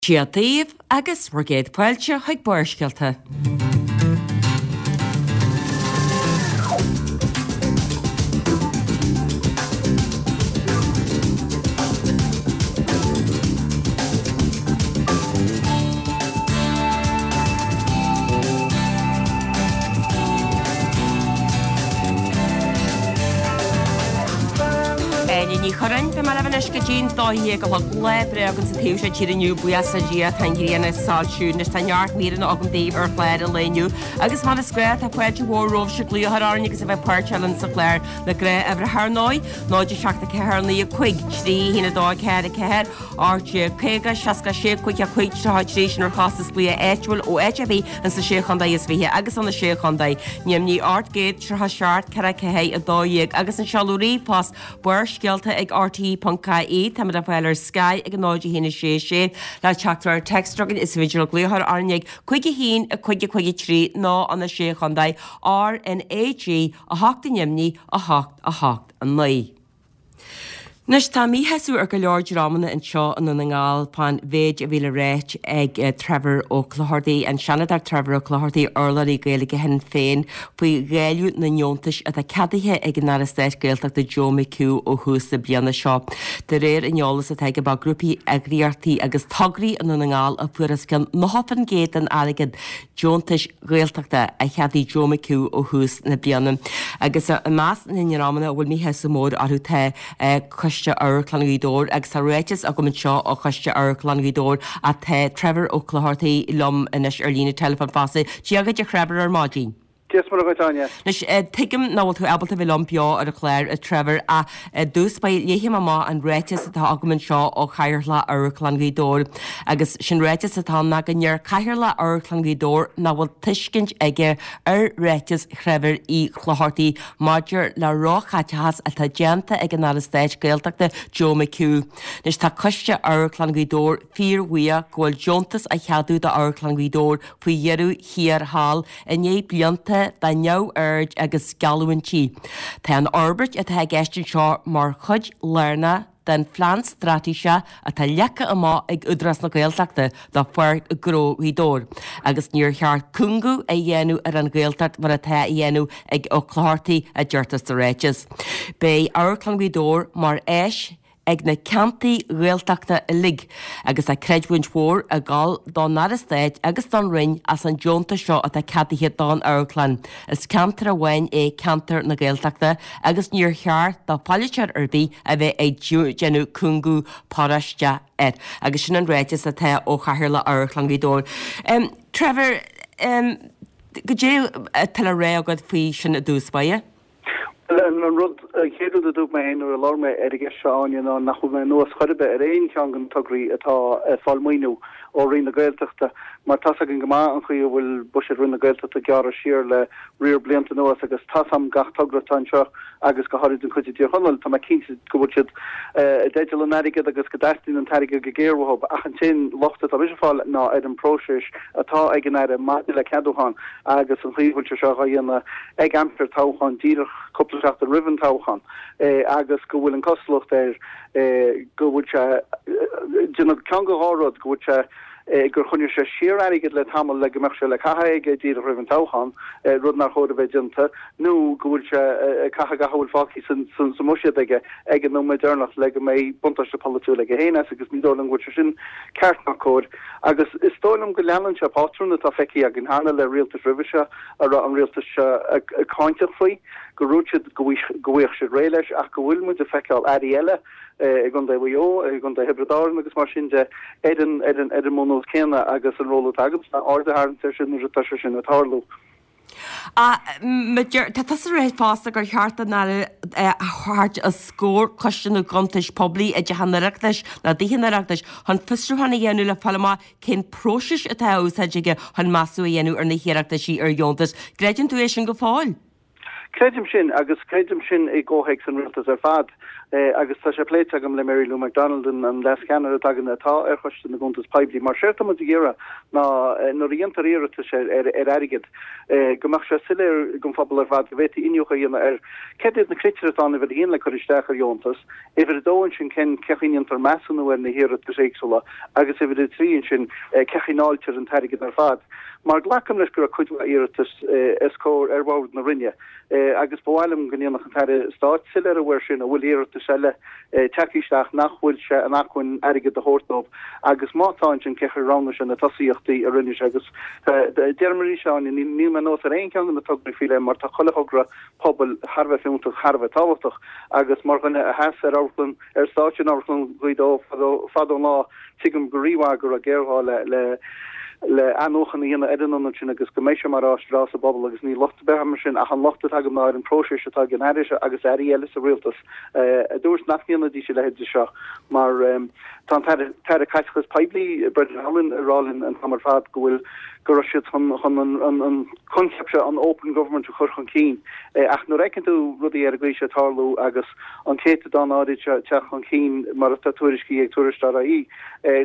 Dia daoibh agus bhur gcéad fáilte chuig Barrscéalta. Áine Ní Churráin, beidh mé libh anois go dtí'n 12 a chlog. Lá breá againn sa taobh seo tíre inniu, buíochas le Dia, tá an ghrian ag soilsiú. Anois tá neart míreanna agam daoibh ar chlár an lae inniu agus mar is gnáth tá fáilte mhór romhaibhse glaoch a chur orainn agus a bheith páirteach linn sa chlár. Na gnáthuimhreacha ar ndóigh, 0 7 4 9 5 3 1 2 4 4 18 50 66 55 33 sin ar chostas glaoch áitiúil ó áit ar bith ins na Sé Chontae is Fiche agus ó na Sé Chontae. Ainmnigh 837 4 4 12 agus an seoladh ríomhphost Barrscéalta ag rte.ie, Táimid le fáil ar Sky ag 0 1 6 6 le teachtaireacht téacs chugainn is féidir glaoch a chur orainn ag 5 1 5 5 3 nó ó na Sé Chontae RnaG 8 ainmnigh 8 8 9. Anois tá míshásamh ar go leor dreamanna anseo i nDún na nGall fán mhéid a bhí le ráit ag Trevor Ó Clochartaigh, an Seanadóir Trevor Ó Clochartaigh, urlabhraí Gaeilge Shinn Féin, faoi dháileadh na ndeontais atá ceadaithe ag an Aire Stáit Gaeltachta Joe McHugh ó thús na bliana seo. De réir an eolais atá aige ba grúpaí, eagraíochtaí agus tograí i nDún na nGall a fuair os cionn 90% den airgead deontais Ghaeltachta a cheadaigh Joe McHugh ó thús na bliana. Agus i measc na ndreamanna a bhfuil míshásamh mór orthu tá Coiste Amharclann Ghaoth Dobhair agus tá ráiteas agam anseo ó Choiste Amharclann Ghaoth Dobhair ach tá Trevor Ó Clochartaigh liom anois ar líne teileafóin fosta. Dia dhuit a Threvor ar maidin. Dia is Muire dhuit, Áine. Anois, tuigim nach bhfuil tú ábalta bheith liom beo ar an chlár, a Trevor, ach i dtús báire, léifidh mé amach an ráiteas atá agam anseo ó Chathaoirleach Amharclann Ghaoth Dobhair. Agus sin ráiteas atá ann ná go ndeir Cathaoirleach Amharclann Ghaoth Dobhair nach bhfuil tuiscint aige ar ráiteas Threvor Uí Chlochartaigh maidir le róchaiteachas atá déanta ag an Aire Stáit Gaeltachta Joe McHugh. Anois tá Coiste Amharclann Ghaoth Dobhair fíorbhuíoch go bhfuil deontas á cheadú d'Amharclann Ghaoth Dobhair faoi dheireadh thiar thall i ndiaidh blianta de neamhaird agus geallúintí. Tá an fhorbairt atá i gceist anseo mar chuid lárnach den phlean straitéiseach atá leagtha amach ag Údarás na Gaeltachta do Pháirc Ghnó Ghaoth Dobhair agus níor cheart cúngú a dhéanamh ar an Ghaeltacht mar atá á dhéanamh ag Ó Clochartaigh, a deirtear sa ráiteas. Beidh Amharclann Ghaoth Dobhair mar áis ag na ceantair Ghaeltachta uilig agus tá creidiúint mhór ag dul don Aire Stáit agus don Roinn as an deontas seo atá ceadaithe don amharclann. Is ceantar amháin é ceantar na Gaeltachta agus níor cheart do pholaiteoir ar bith a bheith ag déanamh cúngú paróiste air. Agus sin an ráiteas atá ó Chathaoirleach Amharclann Ghaoth Dobhair. Trevor, goidé atá le rá agat faoi sin i dtús báire? Bhuel, an rud, an chéad rud a dúirt mé féin nuair a labhair mé ar an gceist seo, Áine, ná nach bhfuil mé anuas chor ar bith ar aon cheann de na tograí atá ag fáil maoiniú ó Roinn na Gaeltachta mar tá's againn go maith an chaoi a bhfuil buiséad Roinn na Gaeltachta gearrtha siar le riar blianta anuas agus tá's a'm gach togra atá anseo agus go háirid an chuid i dTír Chonaill, tá mé cinnte go bhfuil siad i dteideal an airgid agus go dteastaíonn an t-airgead go géar uathu ach an t-aon locht atá mise ag fáil ná ar an bpróiseas atá ag an Aire maidir le ceadúchán agus an chaoi a bhfuil sé seo dhá dhéanamh ag aimsir toghcháin, díreach cúpla seachtain roimh an toghchán, agus go bhfuil an cosúlacht air go bhfuil sé ag déanamh ceann de dhá rud, go bhfuil sé gur choinnigh sé siar airgead le tamall le go mbeadh sé le caitheamh aige díreach roimh an toghchán, rud nár chóir a bheith déanta, nó go bhfuil sé ag caitheamh gach a bhfuil fágtha sa mbuiséad aige ag an nóiméad deireanach le go mbeidh buntáiste polaitiúil aige féin as, agus ní dóigh liom go bhfuil sé sin ceart ná cóir. Agus is dóigh liom go leanann sé pátrún atá feicthe againn cheana le rialtais roimhe seo a raibh an rialtas seo cáinteach faoi, go ndúirt siad go bhfaigheadh siad réidh leis ach go bhfuil muid ag feiceáil airí eile i gContae Mhaigh Eo, i gContae Thiobraid Árann agus mar sin de ar an ar an ar an mbunús céanna agus an ról atá agamsa ná aird a tharraingt air sin nuair atá sé sin ag tarlú. Tá tusa ag rá fosta gur cheart don Aire a thabhairt os comhair Coiste na gCuntas Poiblí i dTeach an Oireachtais nó i dTithe an Oireachtais chun fiosrúchán a dhéanamh le fáil amach cén próiseas atá á úsáid aige chun measúnú a dhéanamh ar na hiarrachtaisí ar dheontas. Gcreideann tú é sin go fóill? Creidim sin, agus creidim sin i gcomhthéacs an rialtais ar fad. Agus tá sé pléite agam le Mary Lou McDonald, an Leas-Cheannaire atá againn atá ar Choiste na gCuntas Poiblí, mar séard atá muid ag iarraidh ná nuair a dhéantar iarratais ar airgead, go mbeadh sé soiléir don phobal ar fad, go bhféadfaí iniúchadh a dhéanamh ar céard iad na critéir atá ann, uimhir a haon, le cur isteach ar dheontas, uimhir a dó ansin cén chaoi a ndéantar measúnú ar na hiarratais éagsúla agus uimhir a trí ansin cén chaoi a ndáiltear an t-airgead ar fad. Mar glacaim leis go raibh cuid mhaith iarratas os comhair ar bhord na Roinne. Agus ba mhaith liom go ndéanfadh an tAire Stáit soiléiriú air sin, an bhfuil iarratais eile tagtha isteach nach bhfuil sé in acmhainn airgead a thabhairt dóibh agus má tá ansin cén chaoi ar roghnaigh sé na tosaíochtaí a rinne sé agus deirim arís Áine, níl mé anuas ar aon cheann de na tograí faoi leith mar tá chuile thogra pobail thar a bheith fiúntach, thar a bheith tábhachtach agus mar dhuine a sheas ar amharclann, ar stáitse in Amharclann Ghaoth Dobhair fadó an lá, tuigim go rímhaith go raibh géarghá le le le athnuachan a dhéanamh ar an ionad sin agus go mbeidh sé mar áis bhreá sa bpobal agus níl locht ar bith agam air sin ach an locht atá agam ná ar an bpróiseas atá ag an Aire seo agus Airí eile sa rialtas a dúirt nach ndéanfaidís a leithéid de seo mar tá an tAire tAire Caiteachais Poiblí Brendan Howlin ag rá linn an t-am ar fad go bhfuil go raibh siad chun chun an an an coincheap seo an open government a chur chun cinn ach nuair a fheiceann tú rudaí ar an gcaoi seo ag tarlú agus an céatadán áirid seo ag teacht chun cinn mar atá tuairiscithe ag Tuairisc.ie,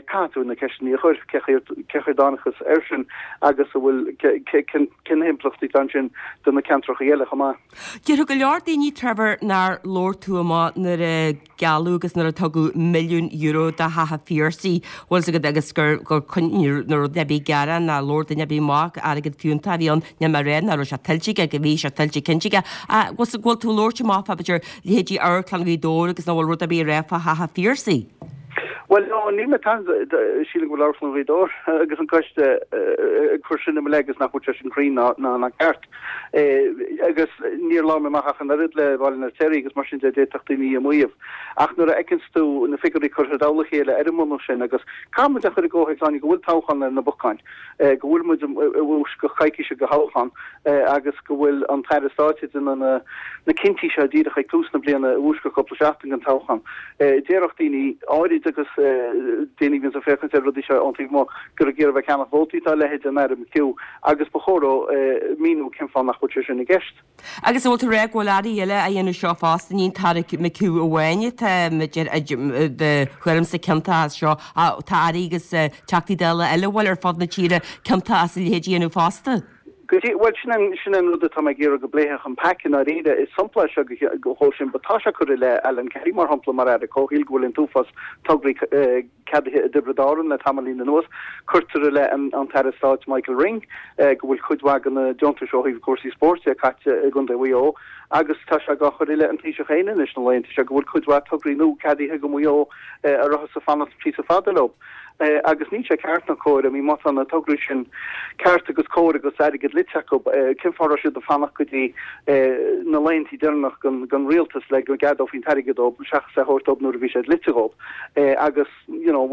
caithfidh tú na ceisteanna a chur, cén chaoi ar dtángthas air sin agus an bhfuil, cé na himpleachtaí atá ansin do na ceantracha eile chomh maith. Déarfadh go leor daoine, Trevor, nár labhair tú amach nuair a gealladh agus nuair a tugadh €1 milliún do Theach an Phiarsaigh, bhfuil 's agat, agus gur, gur, ní raibh duine ar bith ag gearán ná labhair duine ar bith amach, airgead fiúntach a bhí ann, níl mé ag rá nach raibh sé tuillte aige, go bhí sé tuillte cinnte aige. Ach bhfuil 's agat, bhfuil tú ag labhairt amach fá b'fhéidir leithéidí Amharclann Ghaoth Dobhair agus nach bhfuil rud ar bith a rá fá Theach an Phiarsaigh? Bhuel, no, níl mé tan, sílim go bhfuil Amharclann Ghaoth Dobhair agus an coiste ag cur sin i mo leith agus nach bhfuil sé sin cruinn ná, ná, ná ceart. Agus níor labhair mé amach ach an oiread le Baile an Fheirtéaraigh agus mar sin de, d'fhéadfadh daoine a mhaíomh. Ach nuair a fheiceanns tú na figiúirí curtha i dtoll a chéile ar an mbunús sin agus caithfidh muid a chur i gcomhthéacs, Áine, go bhfuil toghchán ar na bacáin, go bhfuil muid i bhfoisceacht coicíse de thoghchán agus go bhfuil an tAire Stáit ag déanamh na cinntí seo díreach ag tús na bliana i bhfoisceacht cúpla seachtain den toghchán. Déarfadh daoine áirid agus daoine a bhíonns ag féachaint ar rudaí seo ón taobh amuigh gur ag iarraidh bheith ag ceannach vótaí atá a leithéid den Aire McHugh Agus ba chóir dó míniú cén fáth nach bhfuil sé sin i gceist. Agus an bhfuil tú ag rá go bhfuil airí eile á dhéanamh seo fosta, ní an tAire McHugh amháin atá do thuairimse ciontach as seo, tá airí agus Teachtaí Dála eile a bhfuil ar fud na tíre ciontach as a leithéid a dhéanamh fosta? Go dtí, bhuel, sin an, sin an rud atá mé ag iarraidh go bpléifeadh an pac i ndáiríre. Is sampla é seo dhó sin, but tá sé curtha i leith Alan Kelly, mar shampla, mar Aire Comhshaoil, go bhfuil an t-uafás tograí ceadaithe i dTiobraid Árann le tamaillín anuas. Cuirtear i leith an tAire Stáit Michael Ring go bhfuil cuid mhaith de na deontais ó thaobh cúrsaí spóirt de caite i gContae Mhaigh Eo agus tá sé á chur i leith an Taoiseach féin anois na laethanta seo go bhfuil cuid mhaith tograí nua ceadaithe go Maigh Eo a rabhthas ag fanacht píosa fada leo. Agus níl sé ceart ná cóir, I mean má tá na tograí sin ceart agus cóir agus airgead dlite acu, cén fáth a raibh siad ag fanacht go dtí na laethanta deireanach den rialtas le go gceadófaí an t-airgead dóibh seachas é a thabhairt dóibh nuair a bhí sé dlite dhóibh? Agus, you know,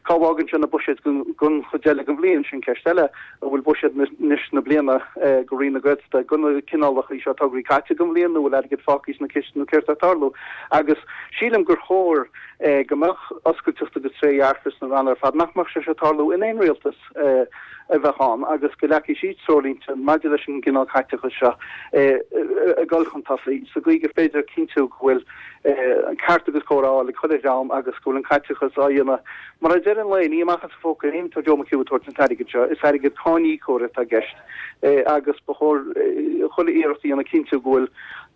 cá bhfágann sé na buiséid don chuid eile den bhliain? Sin ceist eile. An bhfuil buiséad anois na bliana go Roinn na Gaeltachta do na cineálacha seo tograí caite don bhliain nó bhfuil airgead fágtha sna cistí nó céard atá ag tarlú? Agus sílim gur chóir go mbeadh oscailteacht agus trédhearcacht sna ranna ar fad, nach mbeadh sé seo ag tarlú in aon rialtas a bheadh ann agus go leagfaidh siad treoirlínte maidir leis an gcineál caiteachais seo ag dul chun tosaigh sa gcaoi gur féidir cinntiú go bhfuil an ceart agus cóir á fháil ag chuile dhream agus go bhfuil an caiteachas á dhéanamh mar ag deireadh an lae, ní amach as a phóca féin atá Joe McHugh ag tabhairt an t-airgead seo, is airgead cáiníocóir atá i gceist agus ba chóir chuile iarracht a dhéanamh cinntiú go bhfuil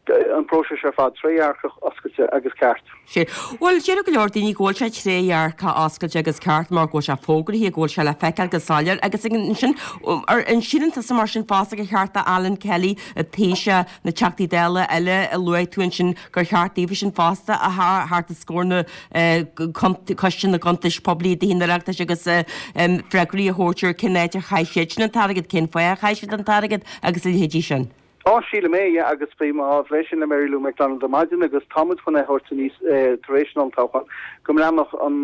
an próiseas ar fad trédhearcach, oscailte agus ceart. Sea. Bhuel, déarfadh go leor daoine go bhfuil sé trédhearcach, oscailte agus ceart mar go bhfuil sé fógraithe, go bhfuil sé le feiceáil go soiléir agus ansin, an síleann tusa mar sin fosta gur cheart do Alan Kelly, an Taoiseach, na Teachtaí Dála eile a luaigh tú ansin gur cheart daofa sin fosta a theacht os comhair na Coiste na gCuntas Poiblí i dTithe an Oireachtais agus freagraí a thabhairt ar cén áit ar chaith siadsan an t-airgead, cén fáth ar chaith siad an t-airgead agus a leithéidí sin. Á, sílim é, yeah, agus bhí mé á phlé sin le Mary Lou McDonald ar maidin agus tá muid chun é a thabhairt aníos tar éis an olltoghcháin, go mbreathnódh an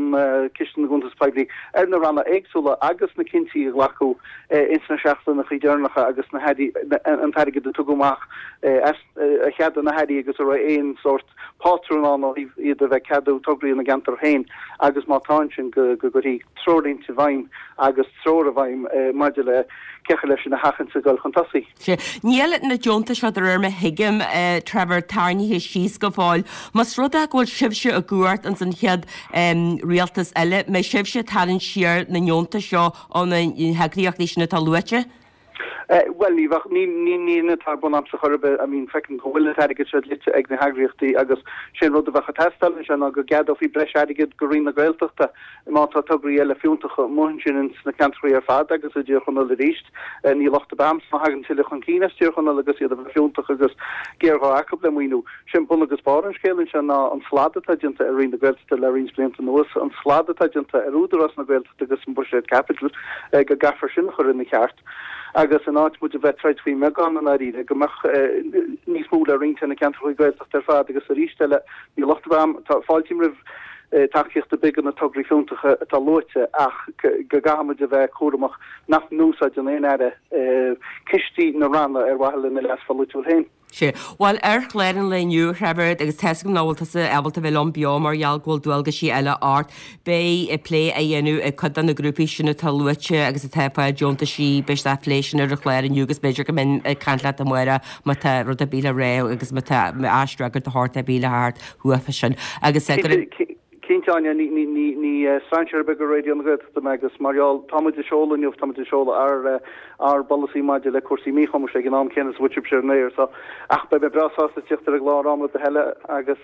Ciste na gCuntas Poiblí ar na ranna éagsúla agus na cinntí a glacadh ins na seachtaineacha deireanacha agus na hairí, an t-airgead a tugadh amach as, a cheadaigh na hairí agus an raibh aon sórt pátrún ann ó thaobh iad a bheith ag ceadú tograí ina gceantar féin agus má tá ansin go gcuirfí treoirlínte i bhfeidhm agus treoir i bhfeidhm maidir le cé chaoi leis sin a sheachaint ag dul chun tosaigh. Sea. Níl na. deontais seo de réir mar a thuigim, Trevor, tarraingthe síos go fóill. Más rud é go bhfuil sibhse i gcumhacht ins an chéad rialtas eile, mbeidh sibhse ag tarraingt siar na ndeontais seo ó na heagraíochtaí sin atá luaite? Bhuel, ní bheadh, ní, ní, ní hin atá ar bun a'msa chor ar bith. I mean, feicim go bhfuil an t-airgead seo dlite ag na heagraíochtaí agus sé an rud a bheadh ag teastáil anseo ná go gceadófaí breis airgid go Roinn na Gaeltachta má tá tograí eile fiúntacha amuigh ansin ins na ceantracha ar fad agus i dTír Chonaill arís. Ní locht ar bith a'msa má thagann tuilleadh chun cinn as Tír Chonaill agus iad a bheith fiúntach agus géarghá acu le maoiniú. Sé an bun agus barr an scéil anseo ná an slad atá déanta ar Roinn na Gaeltachta le roinnt blianta anuas, an slad atá déanta ar Údarás na Gaeltachta, agus an buiséad caipitil, go gcaithfear sin a chur ina cheart agus in áit muid a bheith troid faoin mbeagán i ndáiríre, go mbeadh níos mó le roinnt ar na ceantracha Gaeltachta ar fad agus arís eile, níl locht ar bith a'm, tá, fáiltím roimh tacaíocht ar bith do na tograí fiúntacha atá luaite ach go gcaithfidh muid a bheith cúramach nach n-úsáideann aon aire cistí na ranna ar mhaithe lena leas pholaitiúil féin. Sea. Bhuel, ar chlár an lae inniu, a Threvor, agus tá's agam nach bhfuil tusa ábalta bheith liom beo mar gheall go bhfuil dualgaisí eile ort, beidh plé á dhéanamh ag cuid de na grúpaí sin atá luaite agus atá ag fáil deontaisí, beidh siad á phlé sin ar an chlár inniu agus b'fhéidir go mbeinn ag caint leat amárach má tá rud ar bith le rá agus má tá aisfhreagairt de shórt ar bith le theacht uafa sin. Agus go raibh. Cinnte, Áine, ní strainséir ar bith go Raidió na Gaeltachta mé agus mar gheall, tá muid ag seoladh inniu, tá muid ag seoladh ár ár bpolasaí maidir le cúrsaí míchumais ag an am céanna is a bhfuil sibhse ar an aer so ach beidh mé breá sásta tíocht ar an gclár am ar bith eile agus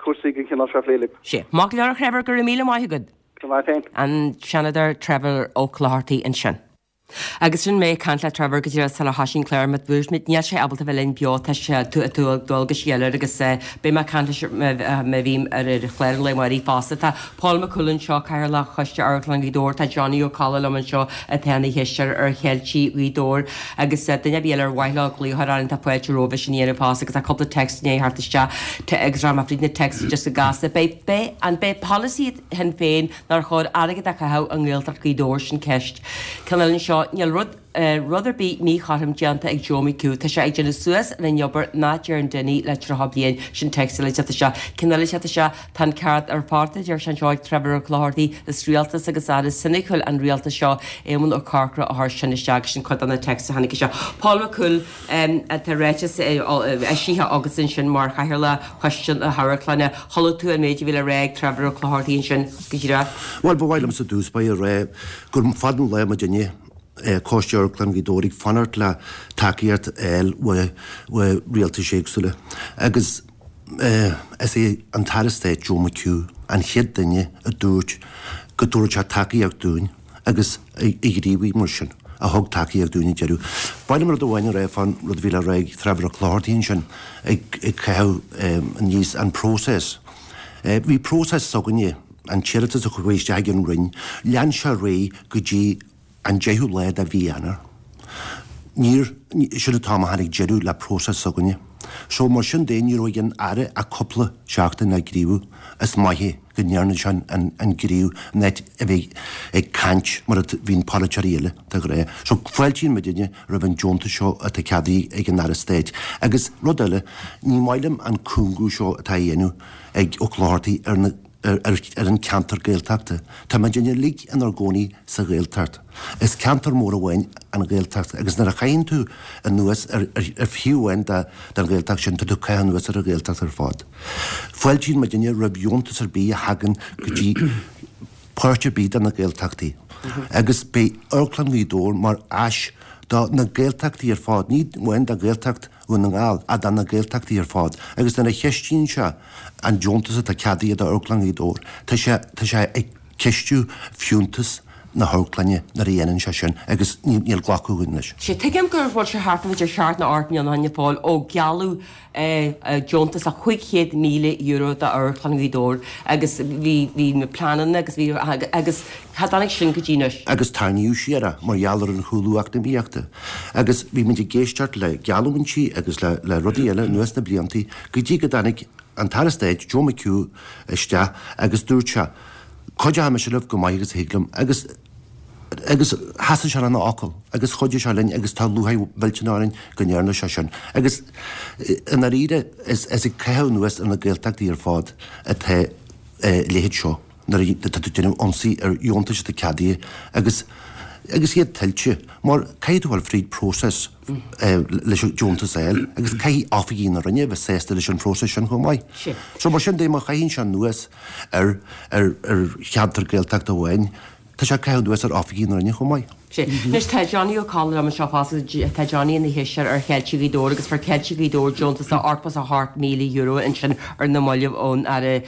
cúrsaí den chineál seo a phlé libh. Sea. Maith go leor a Threvor, go raibh míle maith agat. Go raibh maith agat féin. An Seanadóir Trevor Ó Clochartaigh ansin. Agus sin mé ag caint le Trevor go díreach sular thosaigh an clár, mar a dúirt mé, níl sé ábalta bheith linn beo, tá sé, tá dualgaisí eile air agus beidh mé ag caint leis má bhím ar ar chlár an lae amáirigh fosta. Tá Paul Mac Cumhaill anseo, Cathaoirleach Choiste Amharclann Ghaoth Dobhair, tá Johnny Ó Colla liom anseo atá ina chisteoir ar Cheiltigh Ghaoth Dobhair agus duine ar bith eile ar mhaith leo glaoch a chur orainn tá fáilte rompu sin a dhéanamh fosta agus tá cúpla text i ndiaidh theacht isteach agus rachaidh mé fríd na texts just go gasta. Beidh, beidh, an beidh polasaí Shinn Féin nár chóir airgead a chaitheamh i nGaeltacht Ghaoth Dobhair, sin ceist. Ceann eile anseo, níl rud rud ar bith míchothrom déanta ag Joe McHugh, tá sé ag déanamh suas ar an obair nach dtearn Dinny le 30 bliain, sin text eile ag teacht isteach. Ceann eile ag teacht isteach, tá an ceart ar fad a deir sé anseo ag Trevor Ó Clochartaigh, is rialtas agus aire soiniciúil an rialtas seo, Éamon Ó Corcora a chuir sin isteach, sin cuid de na texts a tháinig isteach. Paul McCool. Tá ráiteas eisithe agat ansin mar Chathaoirleach Choiste na hAmharclainne. Chuala tú an méid a bhí le rá ag Trevor Ó Clochartaigh ansin go díreach. Bhuel, ba mhaith liomsa i dtús báire a rá gur fada an lá muidinne, Coiste Amharclann Ghaoth Dobhair, ag fanacht le tacaíocht a fháil ó rialtais éagsúla agus is é an tAire Stáit Joe McHugh an chéad duine a dúirt go dtabharfadh sé tacaíocht dúinn. agus a ghníomhaigh mar sin, a thug tacaíocht dúinn ag deireadh. Ba mhaith liom rud amháin a rá fán rud a bhí le rá ag Trevor Ó Clochartaigh ansin, ag caitheamh aníos an próiseas. Bhí próiseas s'againne, an t-iarratas a chuaigh isteach ag an Roinn, lean sé ar aghaidh go dtí an deichiú lá de mhí Eanáir. Níor, sin an t-am a tháinig deireadh le próiseas s'againne. So mar sin de, ní raibh ag an Aire ach cúpla seachtain le gníomhú. Is maith é. go ndearna sé an gníomh in áit a bheith ag caint mar a bhíonn polaiteoirí eile de ghnáth. So fáiltíonn muidinne roimh an deontas seo atá ceadaithe ag an Aire Stáit. Agus rud eile, ní maith liom an cúngú seo atá á dhéanamh ag Ó Clochartaigh ar na ar an ceantar Gaeltachta. Tá muidinne uilig inár gcónaí sa Ghaeltacht. Is ceantar mór amháin an Ghaeltacht agus nuair a chaitheann tú anuas ar thaobh amháin den Ghaeltacht sin, tá tú ag caitheamh anuas ar an Ghaeltacht ar fad. Fáiltíonn muidinne roimh dheontas ar bith a thagann go dtí páirt ar bith de na Gaeltachtaí agus beidh Amharclann Ghaoth Dobhair mar áis do na Gaeltachtaí ar fad, ní amháin do Ghaeltacht Dhún na nGall ach do na Gaeltachtaí ar fad agus nuair a cheistíonn sé an deontas atá ceadaithe do Amharclann Ghaoth Dobhair, tá sé, tá sé ag ceistiú fiúntas na hamharclainne nuair a dhéanann sé sin agus níl glacadh againn leis. Sea, tuigim go bhfuil sé thart idir sheacht nó ocht mbliana ó shin a Phóil ó gealladh deontas de €500,000 d'Amharclann Ghaoth Dobhair agus bhí, bhí na pleananna agus bhí, agus cha dtáinig sin go dtí anois. Agus tarraingíodh siar é mar gheall ar an chúlú eacnamaíochta. Agus bhí muid ag éisteacht le geallúintí agus le, le rudaí eile anuas na bliantaí go dtí go dtáinig an tAire Stáit, Joe McHugh, isteach agus dúirt sé, Cuideoidh mise libh go maith agus a thig liom agus agus sheasaigh sé lena fhocal agus chuidigh sé linn agus tá lúcháir mhillteanach orainn go ndearna sé sin. Agus i ndáiríre is ag caitheamh anuas ar na Gaeltachtaí ar fad atá a leithéid seo nuair atá tú ag déanamh ionsaí ar dheontais atá ceadaithe agus. agus iad tuillte mar caithfidh tú dul fríd próiseas leis an deontas a fháil agus caithfidh oifigigh na Roinne a bheith sásta leis an phróiseas sin chomh maith. So mar sin de má chaitheann sé anuas ar ar cheantar Gaeltachta amháin, tá sé ag caitheamh anuas ar oifigigh na Roinne chomh maith. Sea. Anois tá Johnny Ó Colla liom anseo fosta. Tá Johnny ina cheistneoir ar Cheiltigh Ghaoth Dobhair agus fuair Ceiltigh Ghaoth Dobhair deontas de €88,000 ansin ar na mallaibh ón Aire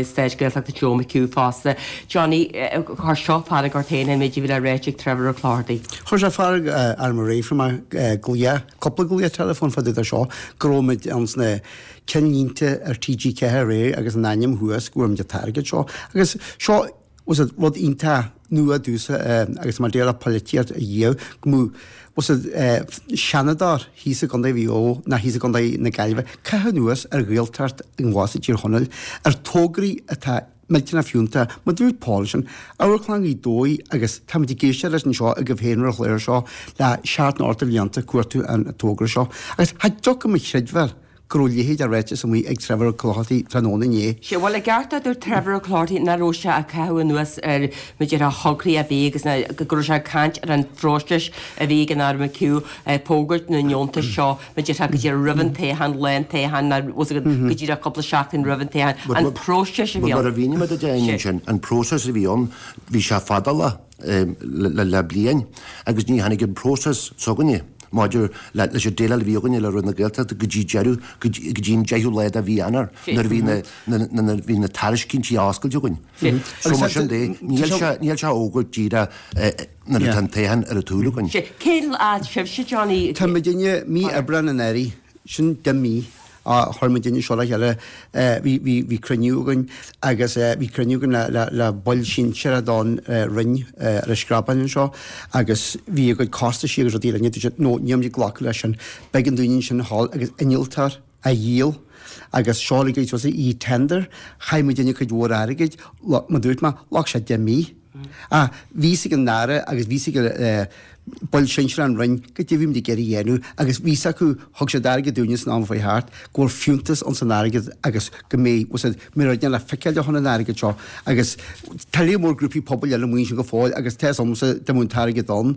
Stáit Gaeltachta Joe McHugh fosta. Johnny, chuir seo fearg ort féin an méid a bhí le ráit ag Trevor Ó Clochartaigh. Chuir sé fearg orm aréir. Fuair mé glaoch, cúpla glaoch teileafóin fá dtaobh de seo, go raibh muid ann sna cinnlínte ar TG4 aréir agus an ainm thuas go bhfuair muid an t-airgead seo. Agus seo was it rud iontach nua domhsa agus mar déarfá polaitíocht a dhiaidh go mbeadh was it seanadóir thíos i gContae Mhaigh Eo ná thíos i gContae na Gaillimhe caitheamh anuas ar Ghaeltacht abhus i dTír Chonaill ar tograí atá millteanach fiúntach mar dúirt Paul sin Amharclann Ghaoth Dobhair agus táimid ag éisteacht leis anseo agaibh féin ar an chlár seo le seacht nó ocht de bhlianta cuartú an togra seo agus cha dtiocfaidh mo chreidbheáil go raibh a leithéid de ráiteas amuigh ag Trevor Ó Clochartaigh tráthnóna inné. Sea, bhuel, i gceart a dúirt Trevor Ó Clochartaigh nach raibh sé ag caitheamh anuas ar b'fhéidir a thograí ar bith agus go raibh sé ag caint ar an phróiseas a bhí ag an Aire McHugh ag fógairt na ndeontas seo b'fhéidir go díreach roimh an toghchán, lá an toghcháin, nó go díreach cúpla seachtain roimh an toghchán, an próiseas a bhí ann. Mar a mhínigh mé duit ansin, an próiseas a bhí ann, bhí sé fadálach le bliain agus ní tháinig an próiseas s'againne maidir leis an déileáil a bhí againne le Roinn na Gaeltachta go dtí deireadh, go dtí an deichiú lá de mhí Eanáir nuair a bhí na, nuair a bhí na tairiscintí á oscailt againn. So mar sin de, níl sé, níl sé á fhógairt díreach nuair atá an toghchán ar an tsúil againn. Cén fhad sibhse, Johnny? Tá muidinne mí Aibreáin anuraidh, sin 10 mí. a chuir muidinne seo le chéile. Bhí, bhí, bhí cruinniú againn agus bhí cruinniú againn le, le, le baill sinsearach don Roinn ar an Screabán anseo agus bhí a gcuid costaisí agus rudaí linn. Dúirt siad, no, níl muid ag glacadh leis sin. B'éigean dúinn ansin a ghabháil agus innealtóir a dhíol agus seo le go e-tender. Chaith muidinne cuid mhór airgid, mar dúirt mé, ghlac sé 10 mí. Ach bhí fhios ag an Aire agus bhí fhios ag baill sinsearach an Roinn goidé a bhí muid ag iarraidh a dhéanamh agus bhí fhios acu, thug siad airgead dúinne san am a chuaigh thart, go bhfuil fiúntas ins an airgead agus go mbeidh, bhfuil fhios a'd, mbeidh rud le feiceáil de an airgead seo agus tá léar mór grúpaí pobail eile amuigh ansin go fóill agus tá fhios a'msa dá mbeadh an t-airgead ann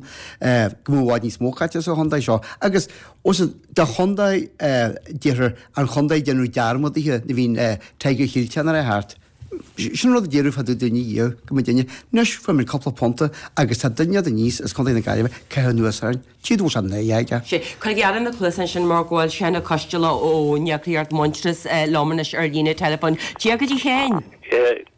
go mbeadh i bhfad níos mó caite sa chontae seo agus bhfuil fhios a'd, do chontae, deirtear an chontae a déanadh dearmad de nuair a bhíonn Tiger Chill Teannáir thart. Sin rud a déarfadh fá dtaobh dúinne dhiaidh go mbeidh duine. Anois fuair muid cúpla punta agus tá duine de aníos as Contae na Gaillimhe caitheamh anuas orainn. Tchí go bhfuil sé náireach aige. Sea, cuirigí aire na cluasa ansin mar go bhfuil Seán Ó Coisteala ón eagraíocht Muintearas liom anois ar líne teileafóin. Dia dhuit a Sheáin!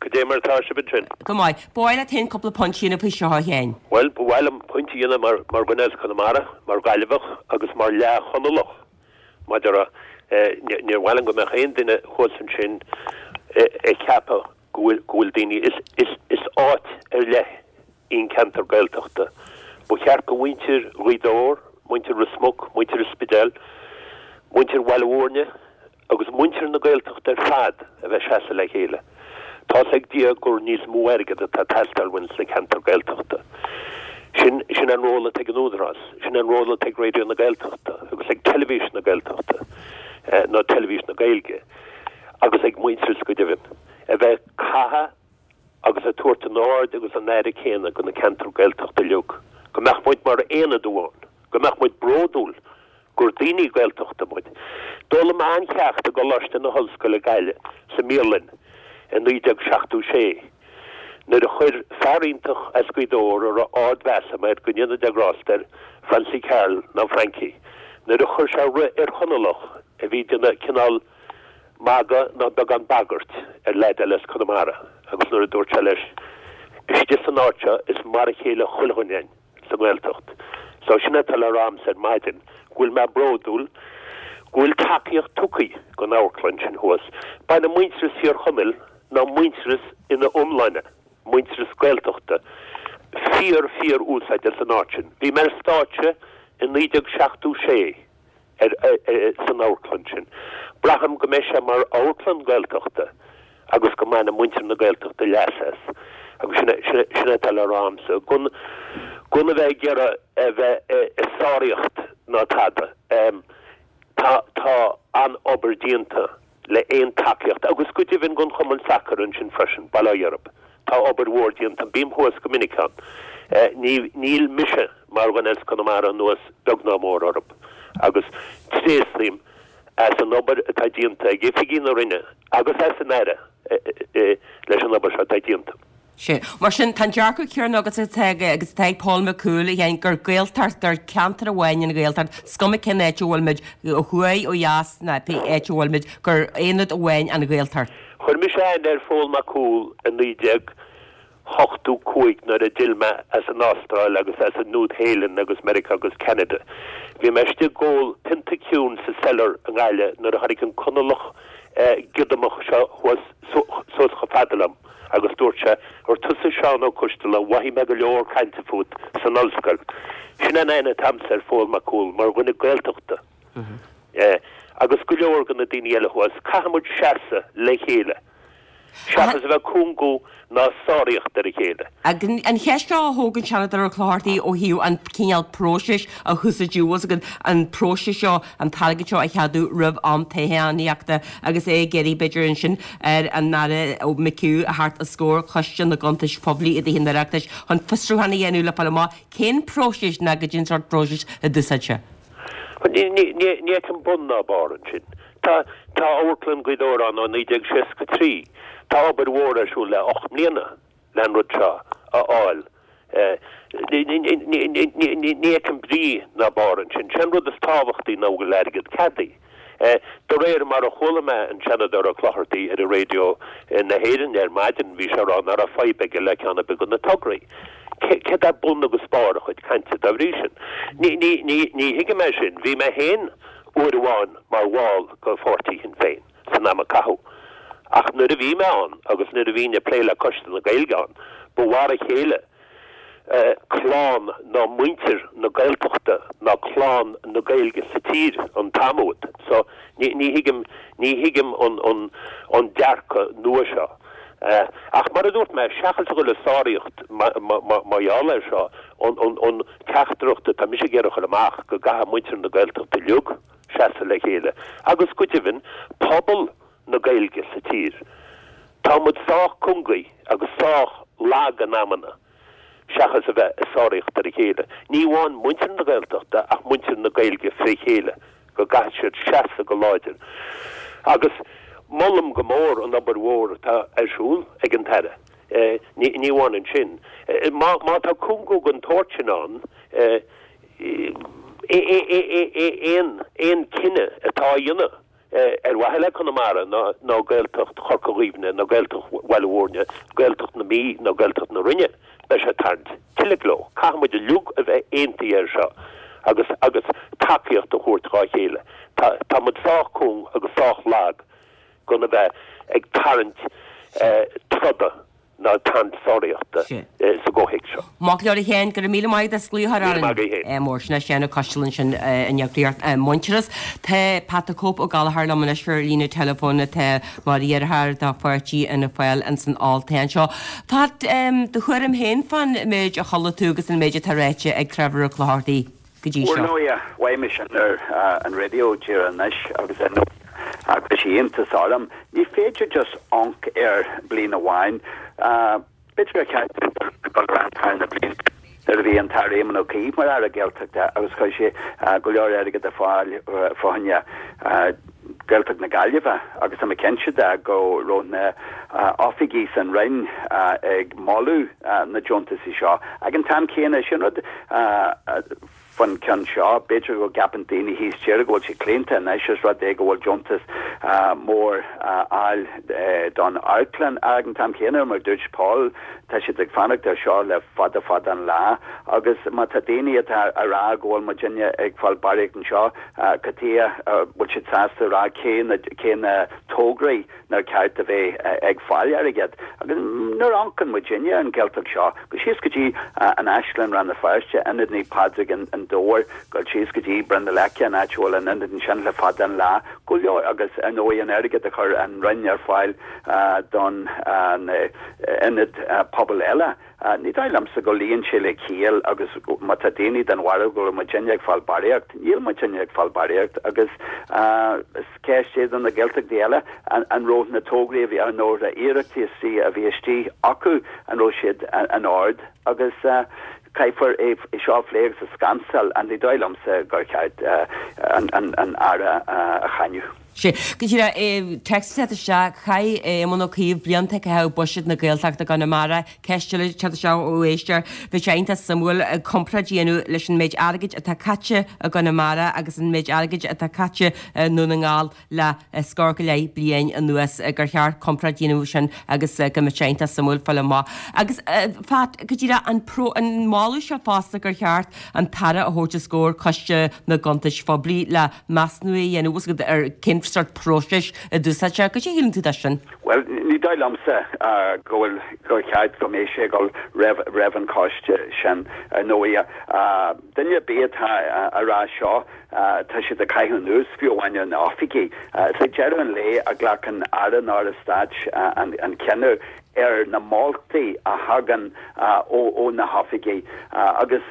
Goidé mar atá sibh ansin? Go maith. Ba mhaith leat féin cúpla pointe a dhéanamh faoi seo a Sheáin. Bhuel, ba mhaith liom pointe a dhéanamh mar mar dhuine as Conamara, mar Ghaillimheach agus mar leath-Chonallach. Maidir le, níor mhaith liom go mbeadh aon duine thuas ansin ag ceapadh go bhfuil, go bhfuil daoine, is, is, is áit ar leith í an ceantar Gaeltachta. Ba cheart go mhuintir Ghaoth Dobhair, muintir Ros Muc, muintir an Spidéil, muintir Bhaile Mhúirne, agus muintir na Gaeltachta ar fad a bheith seasamh le chéile. Tá's ag Dia gur níos mó airgead atá ag teastáil uainn sna ceantair Gaeltachta. Sin, sin an ról atá ag an Údarás, sin an ról atá ag Raidió na Gaeltachta agus ag Teilifís na Gaeltachta, nó Teilifís na Gaeilge, agus ag Muintearas go deimhin, a bheith ag caitheamh agus ag tabhairt an aird agus an aire céanna go na ceantair Gaeltachta uilig, go mbeadh muid mar aonad amháin, go mbeadh muid bródúil gur daoine Gaeltachta muid. D'fhoghlaim mé an-cheacht i gColáiste na hOllscoile Gaillimh sa mbialann i 1976 nuair a chuir fear iontach as Gaoth Dobhair a raibh ard-mheas agam air, go ndéana Dia grásta air, Francie Carroll nó Frankie, nuair a chuir sé rith ar Chonallach a bhí ag déanamh cineál magadh nó beagán bagairt ar leaid eile as Conamara agus nuair a dúirt sé leis, Istigh san áit seo is mar a chéile chuile dhuine againn sa nGaeltacht. So sin atá le rá a'msa ar maidin, go bhfuil mé bródúil go bhfuil tacaíocht tugtha don amharclann sin thuas. Baineann Muintearas Thír Chonaill ná Muintearas ina iomláine, Muintearas Gaeltachta, fíor fíor úsáid as an áit sin. Bhí mé ar stáitse i 1976. ar san amharclann sin. Braithim go mbeidh sé mar amharclann Gaeltachta agus go mbainfidh muintir na Gaeltachta leas as. Agus sin é sin atá le rá a'msa. Gan gan a bheith ag iarraidh a bheith ag sáraíocht ná tada. Tá tá an-obair déanta le aon tacaíocht agus go deimhin don chumann sacair ansin freisin, Baile Átha Dheirb. Tá obair mhór déanta. Bím thuas go minic ann. Ní, níl mise mar dhuine as Conamara anuas beag ná mór orthu agus tréaslaím as an obair atá déanta ag oifigigh na Roinne agus as an Aire leis an obair seo atá déanta. Sea. Mar sin, tá an dearcadh céanna agat atá ag, agus atá ag Paul McCool, a Sheáin, gur Gaeltacht, gur ceantar amháin an Ghaeltacht, is cuma cén áit a bhfuil muid, ó thuaidh, ó dheas, ná pé áit a bhfuil muid, gur aonad amháin an Ghaeltacht. Chuir mise aithne ar Phól Mac Cumhaill i 1985 nuair a d'fhill mé as an Astráil agus as an Nua-Shéalainn agus Meiriceá agus Ceanada. Bhí mé istigh ag ól pionta ciúin sa Cellar i nGaillimh nuair a tháinig an Conallach giodamach seo thuas suas chomh fada liom agus dúirt sé, Ar tusa Seán Ó Coistealbha, mhothaigh mé go leor cainte fút san ollscoil. Sin an aithne atá agamsa ar Phól Mac Cumhaill mar dhuine Gaeltachta agus go leor de na daoine eile thuas. Caithfidh muid seasamh le chéile seachas a bheith ag cúngú ná sáraíocht ar a chéile. An cheist seo a thóg an Seanadóir Ó Clochartaigh ó thaobh an cineál próisis a húsáideadh, bhfuil a fhios agat, an próiseas seo, an t-airgead seo a cheadú roimh am toghchánaíochta agus é ag iarraidh, b'fhéidir ansin, ar an Aire McHugh a theacht os comhair Choiste na gCuntas Poiblí i dTithe an Oireachtais chun fiosrúchán a dhéanamh le fáil amach cén próiseas ná goidé an sórt próisis a d'úsáid sé. Ní fheicim bun ná barr ansin. Tá tá Amharclann Ghaoth Dobhair ann ó 1963. Tá obair mhór ar siúl le 8 mbliana le an rud seo a fháil. Ní fheicim brí ná barr ansin. Sé an rud is tábhachtaí ná go bhfuil airgead ceadaithe. De réir mar a chuala mé an Seanadóir Ó Clochartaigh ar Raidió na hÉireann ar maidin, bhí sé ag rá nach raibh fadhb aige le ceann ar bith de na tograí. Céard é bun agus barr a chuid cainte dá bhrí sin? Ní thuigim é sin. Bhí mé féin uair amháin mar bhall de pháirtí Shinn Féin san am a caitheadh. Ach nuair a bhí mé ann agus nuair a bhínn ag plé le Coiste na Gaeilge ann, ba mhar a chéile clann ná muintir na Gaeltachta ná clann na Gaeilge sa tír an t-am úd. So ní thuigim, ní thuigim an an dearcadh nua seo. Ach mar a dúirt mé, seachas a dhul ag sáraíocht mar gheall air seo, an teachtaireacht atá mise ag iarraidh a chur amach, go gcaithfidh muintir na Gaeltachta uilig seasamh le chéile, agus go deimhin pobal na Gaeilge sa tír. Tá muid sách cúngaí agus sách lag in amanna seachas a bheith ag sáraíocht ar a chéile. Ní amháin muintir na Gaeltachta ach muintir na Gaeilge fré chéile, go gcaithfidh siad seasamh go láidir. Agus molaim go mór an obair mhór atá ar siúl ag an tAire. Ní amháin ansin. Má tá cúngú den tsórt sin ann, aon cinneadh atá á dhéanamh ar mhaithe le Conamara ná Gaeltacht Chorca Dhuibhne ná Gaeltacht Bhaile Mhúirne, Gaeltacht na Mí ná Gaeltacht na Rinne, beidh sé ag tarraingt tuilleadh leo. Caithfidh muid uilig a bheith aontaithe air seo agus agus tacaíocht a thabhairt dhá chéile. Tá muid sách cúng agus sách lag gan a bheith ag tarraingt troda ná ag tarraingt sáraíochta sa gcomhthéacs seo. Maith go leor a Sheáin, go raibh míle maith agat as glaoch a chur Míle maith agat féin. Mór sin é Seán Ó Coistealbha ansin in eagraíocht Muintearas. Tá Pat the Cope Ó Gallchóir liom anois ar líne teileafóin atá mar iarrthóir do pháirtí Fhianna Fáil ins an olltoghchán seo. Pat, do thuairim féin fán méid a chuala tú agus an méid atá ráite ag Trevor Ó Clochartaigh go dtí seo. Ar ndóighe, mhaígh mé sin ar an raidió díreach anois agus ar ndóighe chuir sé iontas orm. Ní féidir just amharc ar bliain amháin. B'fhéidir gur cheart dul ar ais thar na blianta nuair a bhí an tAire Éamon Ó Cuív mar Aire Gaeltachta agus chuir sé go leor airgid ar fáil fá choinne Gaeltacht na Gaillimhe agus tá mé cinnte de go raibh na oifigigh san Roinn ag moladh na deontaisí seo. Ag an t-am céanna, sin rud faoin ceann seo, b'fhéidir go gceapann daoine thíos tíre go bhfuil sé claonta anois is rud é go bhfuil deontas mór á fháil don amharclann. Ag an t-am céanna, mar dúirt Paul, tá siad ag fanacht ar seo le fada fada an lá agus má tá daoine atá a rá go bhfuil muidinne ag fáil barraíocht anseo, Cad chuige a bhfuil siad sásta a rá cé na cé na tograí nár cheart a bheith ag fáil airgead? Agus nuair a amharcann muidinne ar an Ghaeltacht seo, go síos go dtí an Áislann Rann na Feirste, Ionad Naomh Pádraig i nDobhar, dul síos go dtí Brú na Leice, an áit a bhfuil an ionad ansin le fada an lá, go leor, agus ar ndóigh an airgead a chuir an Roinn ar fáil don na ionaid pobail eile. Ní dóigh liomsa go luíonn sé le ciall agus má tá daoine den bharúil go bhfuil muidinne ag fáil barraíocht, níl muidinne ag fáil barraíocht agus is ceist é do na Gaeltachtaí eile an raibh na tograí a bhí ann nó na hiarrachtaí a bhí istigh acu, an raibh siad in ord agus. Caithfear é seo a phlé agus a scansáil and ní dóigh liomsa gur cheart an Aire a cháineadh. Sea. Go díreach, téacs ag teacht isteach, chaith Éamon Ó Cuív blianta ag caitheamh buiséad na Gaeltachta i gConamara. Ceist eile ag teacht isteach ó éisteoir, bheadh sé iontach suimiúil comparáid a dhéanamh leis an méid airgid atá caite i gConamara agus an méid airgid atá caite i nDún na nGall le scór go leith bliain anuas, gur cheart comparáid a dhéanamh sin agus go mbeadh sé iontach suimiúil fáil amach. Agus Phat, go díreach, an an moladh seo fosta gur cheart an tAire a thabhairt os comhair Coiste na gCuntais Phoiblí le measúnú a dhéanamh bhfuil a fhios agat ar cén sórt próisis a d'úsáid sé. Cad é a shíleann tú de sin? Bhuel, ní dóigh liomsa go bhfuil, gur cheart go mbeadh sé ag dul roimh, roimh an choiste sin. Ar ndóigh, duine ar bith atá a rá seo, Tá siad ag caitheamh anuas, fiú amháin ar na hoifigigh. Is ag deireadh an lae a ghlacann Aire nó Aire Stáit an cinneadh ar na moltaí a thagann ó na hoifigigh. Agus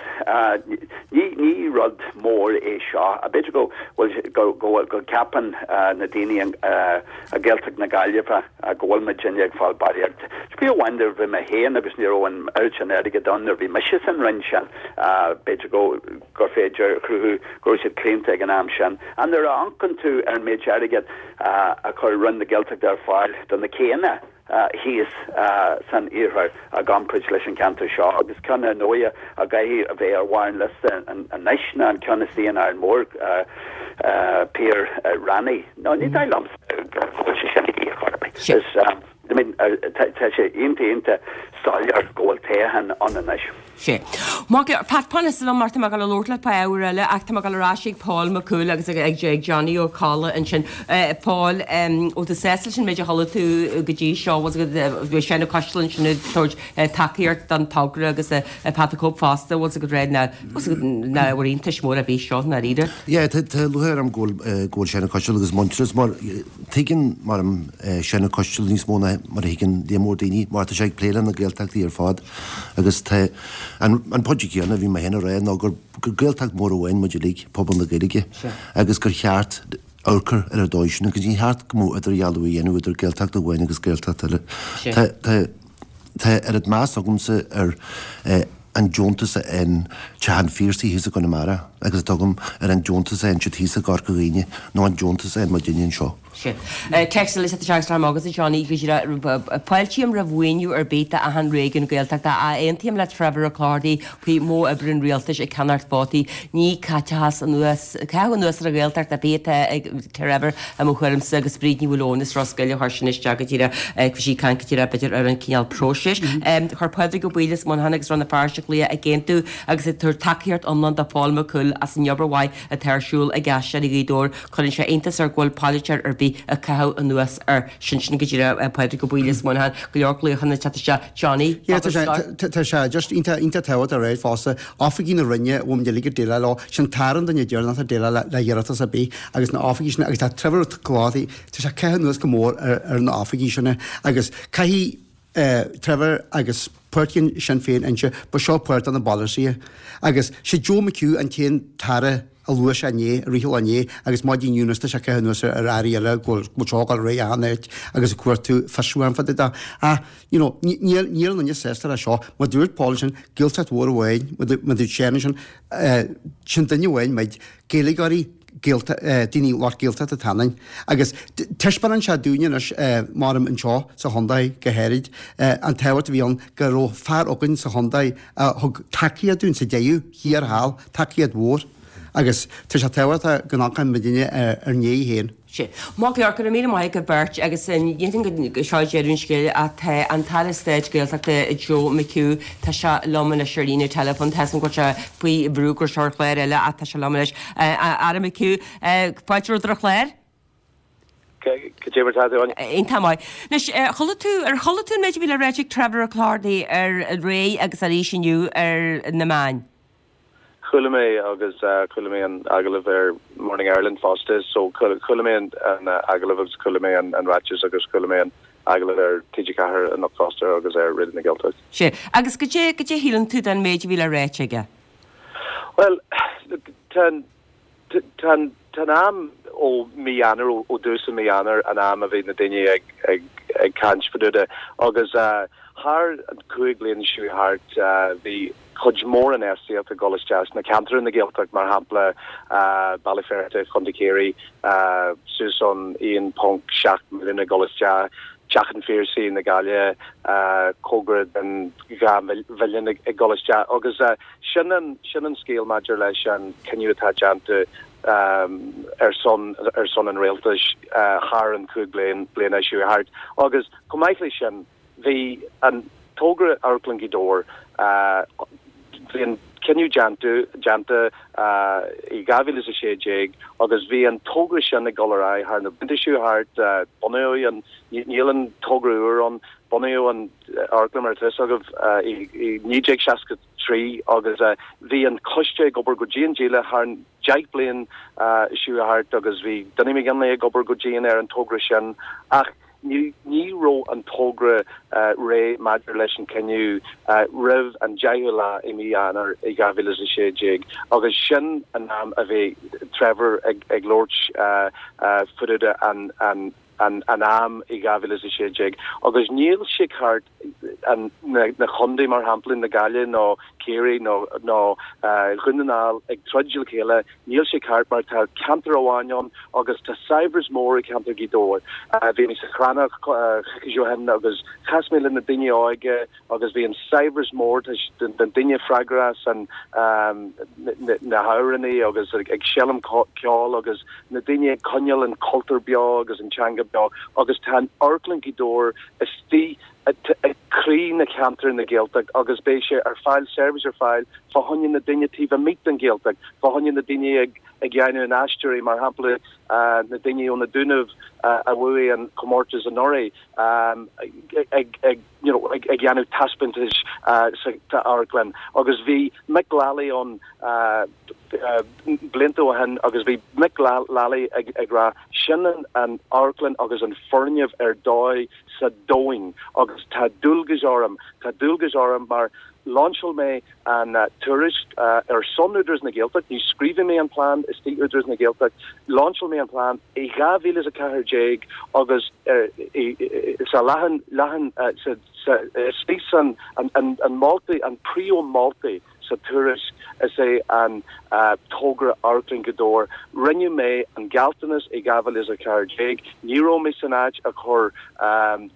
ní rud mór é seo. B'fhéidir go bhfuil, go gceapann na daoine i Gaeltacht na Gaillimhe go bhfuil muidinne ag fáil barraíocht. Fiú amháin nuair a bhí mé féin agus ní raibh an oiread sin airgid ann nuair a bhí mise san Roinn sin, b'fhéidir go. gur féidir a chruthú go raibh siad claonta ag an am sin. Ach nuair a amharcann tú ar an méid airgid a chuir Roinn na Gaeltachta ar fáil do na céanna thíos san iarthar i gcomparáid leis an cheantar seo, agus ceann ar ndóigh a gcaithfidh a bheith ar bharr an liosta anois ná an ceann istigh in Árainn Mhór, Pier Ranney. No, ní dóigh liomsa go bhfuil sé sin ar chor ar bith. Is. I mean, tá sé iontach, iontach soiléir go bhfuil toghchán ann anois. Sea. Maith go leor. Pat, fan ansin liom mar tá mé ag dul a labhairt leat fá ábhar eile ach tá mé ag dul ar ais ag Paul Mac Cumhaill agus ag Johnny Ó Colla ansin. Paul, bhfuil tú sásta leis an méid a chuala tú go dtí seo? Bhfuil bhí Seán Ó Coistealbha ansin ag tabhairt tacaíocht don togra agus Pat the Cope fosta, bhfuil a fhios agat nach ábhar iontais mór ar bith seo, i ndáiríre? Yeah, tá lúcháir orm go bhfuil go bhfuil Seán Ó Coistealbha agus Muintearas mar tuigeann mar Seán Ó Coistealbha níos mó ná mar a thuigeann líon mór daoine mar tá sé ag plé le na Gaeltachtaí ar fad agus tá an an pointe céanna a bhí mé féin a rá ná gur gur Gaeltacht mór amháin muid uilig, pobal na Gaeilge, agus gur cheart amharc ar an dóigh sin agus ní cheart go mbeadh idirdhealú a dhéanamh idir Gaeltacht amháin agus Gaeltacht eile. Tá tá tá oiread meas agamsa ar an deontas a fhaigheann Teach an Phiarsaigh thíos i gConamara agus atá agam ar an deontas a fhaigheann siad thíos i gCorca Dhuibhne nó an deontas a faigheann muidinne anseo. Sea. Téacs eile isteach agus Johnny go díreach. Fáiltím roimh mhaoiniú ar bith d'achan réigiún Gaeltachta. Aontaím le Trevor Ó Clochartaigh faoi modh oibre an rialtais ag ceannacht vótaí. Ní caiteachas anuas, caitheamh anuas ar an Ghaeltacht ar bith atá ag Trevor i mo thuairimse agus Bríd Ní Mhaoileoin as Ros Goill a chuir sin isteach go díreach. Bhí sí ag caint go díreach b'fhéidir ar an cineál próisis. Chuir Pádraig Ó Baoill as Muineachán agus Rann na Feirste glaoch ag aontú agus ag tabhairt tacaíocht iomlán do Phól Mac Cumhaill as an obair mhaith atá ar siúl ag Aisteoirí Ghaoth Dobhair. Cuireann sé iontas air go bhfuil polaiteoir ar bith ag caitheamh anuas air sin. Sin go díreach Pádraig Ó Baoill as Muineachán. Go leor glaochanna ag teacht isteach. Johnny, Yeah, tá sé, tá sé just iontach, iontach tábhachtach a rá fosta. Oifigigh na Roinne, bhfuil muid uilig ag déileáil leo, sin tAire an duine deireanach atá ag déileáil le, le hiarratas ar bith agus na oifigigh sin agus tá Trevor Ó Clochartaigh, tá sé ag caitheamh anuas go mór ar, ar na oifigigh sin agus caithfidh Trevor agus páirtí Sinn Féin inse, ba seo páirt de na bpolasaithe. Agus sé Joe McHugh an t-aon tAire a luaigh sé inné, i rith an lae inné, agus maidin inniu anois tá sé ag caitheamh anuas ar airí eile go bhfuil seo ag dul ar aghaidh achan áit agus ag cuartú fiosrúchán fá dtaobh de. Ach, you know, níl aon duine sásta leis seo. Mar dúirt Paul ansin, Gaeltacht mhór amháin, mar dúirt Seán ansin, sin duine amháin muid, Gaeilgeoirí, Gaelta, daoine lucht Gaeltachta atá ionainn. Agus taispeánann sé dúinne anois, maram anseo sa chontae go háirid, an tábhacht a bhí ann go raibh fear againn sa chontae a thug tacaíocht dúinn sa deireadh thiar thall, tacaíocht mhór. Agus tá sé tábhachtach go n-amharcann muidinne ár ndiaidh féin. Sea. Maith go leor, go raibh míle maith agat beirt agus ní dhéanfainn go seo deireadh an scéil ach tá an tAire Stáit Gaeltachta Joe McHugh, tá sé liom anois ar líne teileafóin, tá a fhios agam go bhfuil sé faoi bhrú go raibh sé ar chlár eile ach tá sé liom anois. A Aire McHugh, fáilte romhat ar an chlár. Cad é mar tá tú, Áine? Iontach maith. Anois, chuala tú, ar chuala tú an méid a bhí le ráit ag Trevor Ó Clochartaigh ar rté agus arís inniu ar na meáin? Chuala mé agus chuala mé an agallamh ar Morning Ireland fosta so chuala mé an agallamh agus chuala mé an ráiteas agus chuala mé an agallamh ar TG4 anocht fosta agus ar Raidió na Gaeltachta. Sea. Agus cad é, cad é a shíleann tú den méid a bhí le ráit aige? Bhuel, look, tá an, tá an, tá an am ó mí Eanáir, ó dtús an mí Eanáir an am a bhí na daoine ag, ag, ag caint fá dtaobh de agus thar an chúig bliana seo thart bhí. cuid mhór infheistíocht ag dul isteach sna ceantair na Gaeltacht, mar shampla Baile Feirste, Chontae Chiarraí, suas an 1.7 milliún ag dul isteach, Teach an Phiarsaigh na Gaillimhe, cóngar den 2 mhilliún ag dul isteach agus sin an sin an scéal maidir leis an cinneadh atá déanta ar son ar son an rialtais thar an 5 bliana seo thart agus chomh maith leis sin Bhí an togra Amharclann Ghaoth Dobhair, bhí an cinneadh déanta, déanta i 2016 agus bhí an togra sin ag dul ar aghaidh thar na blianta seo thart, bunaíodh an, níl an togra úr ann, bunaíodh an amharclann mar atá fhios agaibh i 1963 agus bhí an coiste ag obair go dian dícheallach thar an 10 bliain seo thart agus bhí Dinny McGinley ag obair go dian ar an togra sin ach Ní raibh an togra réidh maidir leis an cinneadh roimh an 10ú lá i mí Eanáir i 2016 agus sin an am a bhí Trevor ag labhairt fá dtaobh de an am i 2016 agus níl sé ceart na chontae mar shampla na Gaillimhe nó Ciarraí nó Dhún na nGall ag troid le chéile Níl sé ceart mar tá ceantar amháin ann agus tá saibhreas mór i gceantar Ghaoth Dobhair. Bhí mé sa Chrannach coicís ó shin agus chas mé le na daoine óige agus bhí an saibhreas mór den daoine freagrach as an na hamhránaí agus ag seinm ceoil agus na daoine ag coinneáil an cultúr beo agus an teanga beo agus tá an Amharclann Ghaoth Dobhair istigh i gcroí na ceantar na Gaeltacht agus beidh sé ar fáil, seirbhís ar fáil fá choinne na daoine taobh amuigh den Ghaeltacht, fá choinne na daoine ag ag dhéanamh an aisteoirí, mar shampla na daoine ó na Dúnaibh a bhuaigh an comórtas anuraidh ag ag you know ag ag dhéanamh taispeántais sa amharclann agus bhí Mick Lally ann blianta ó shin agus bhí Mick Lally ag ag rá sin an an amharclann agus an foirgneamh ar dóigh sa domhain agus tá dualgas orm, tá dualgas orm mar lainseáil mé an tuairisc ar son Údarás na Gaeltacht, ní scríobhaigh mé an plean istigh Údarás na Gaeltacht, lainseáil mé an plean i 2014 agus sa leathan, leathan, sa, sa, istigh san, an, an, an moltaí, an príomh moltaí. Sa tuairisc, is é an togra Amharclann Ghaoth Dobhair. Rinne mé an gealltanas i 2014. Ní raibh mé san áit a chur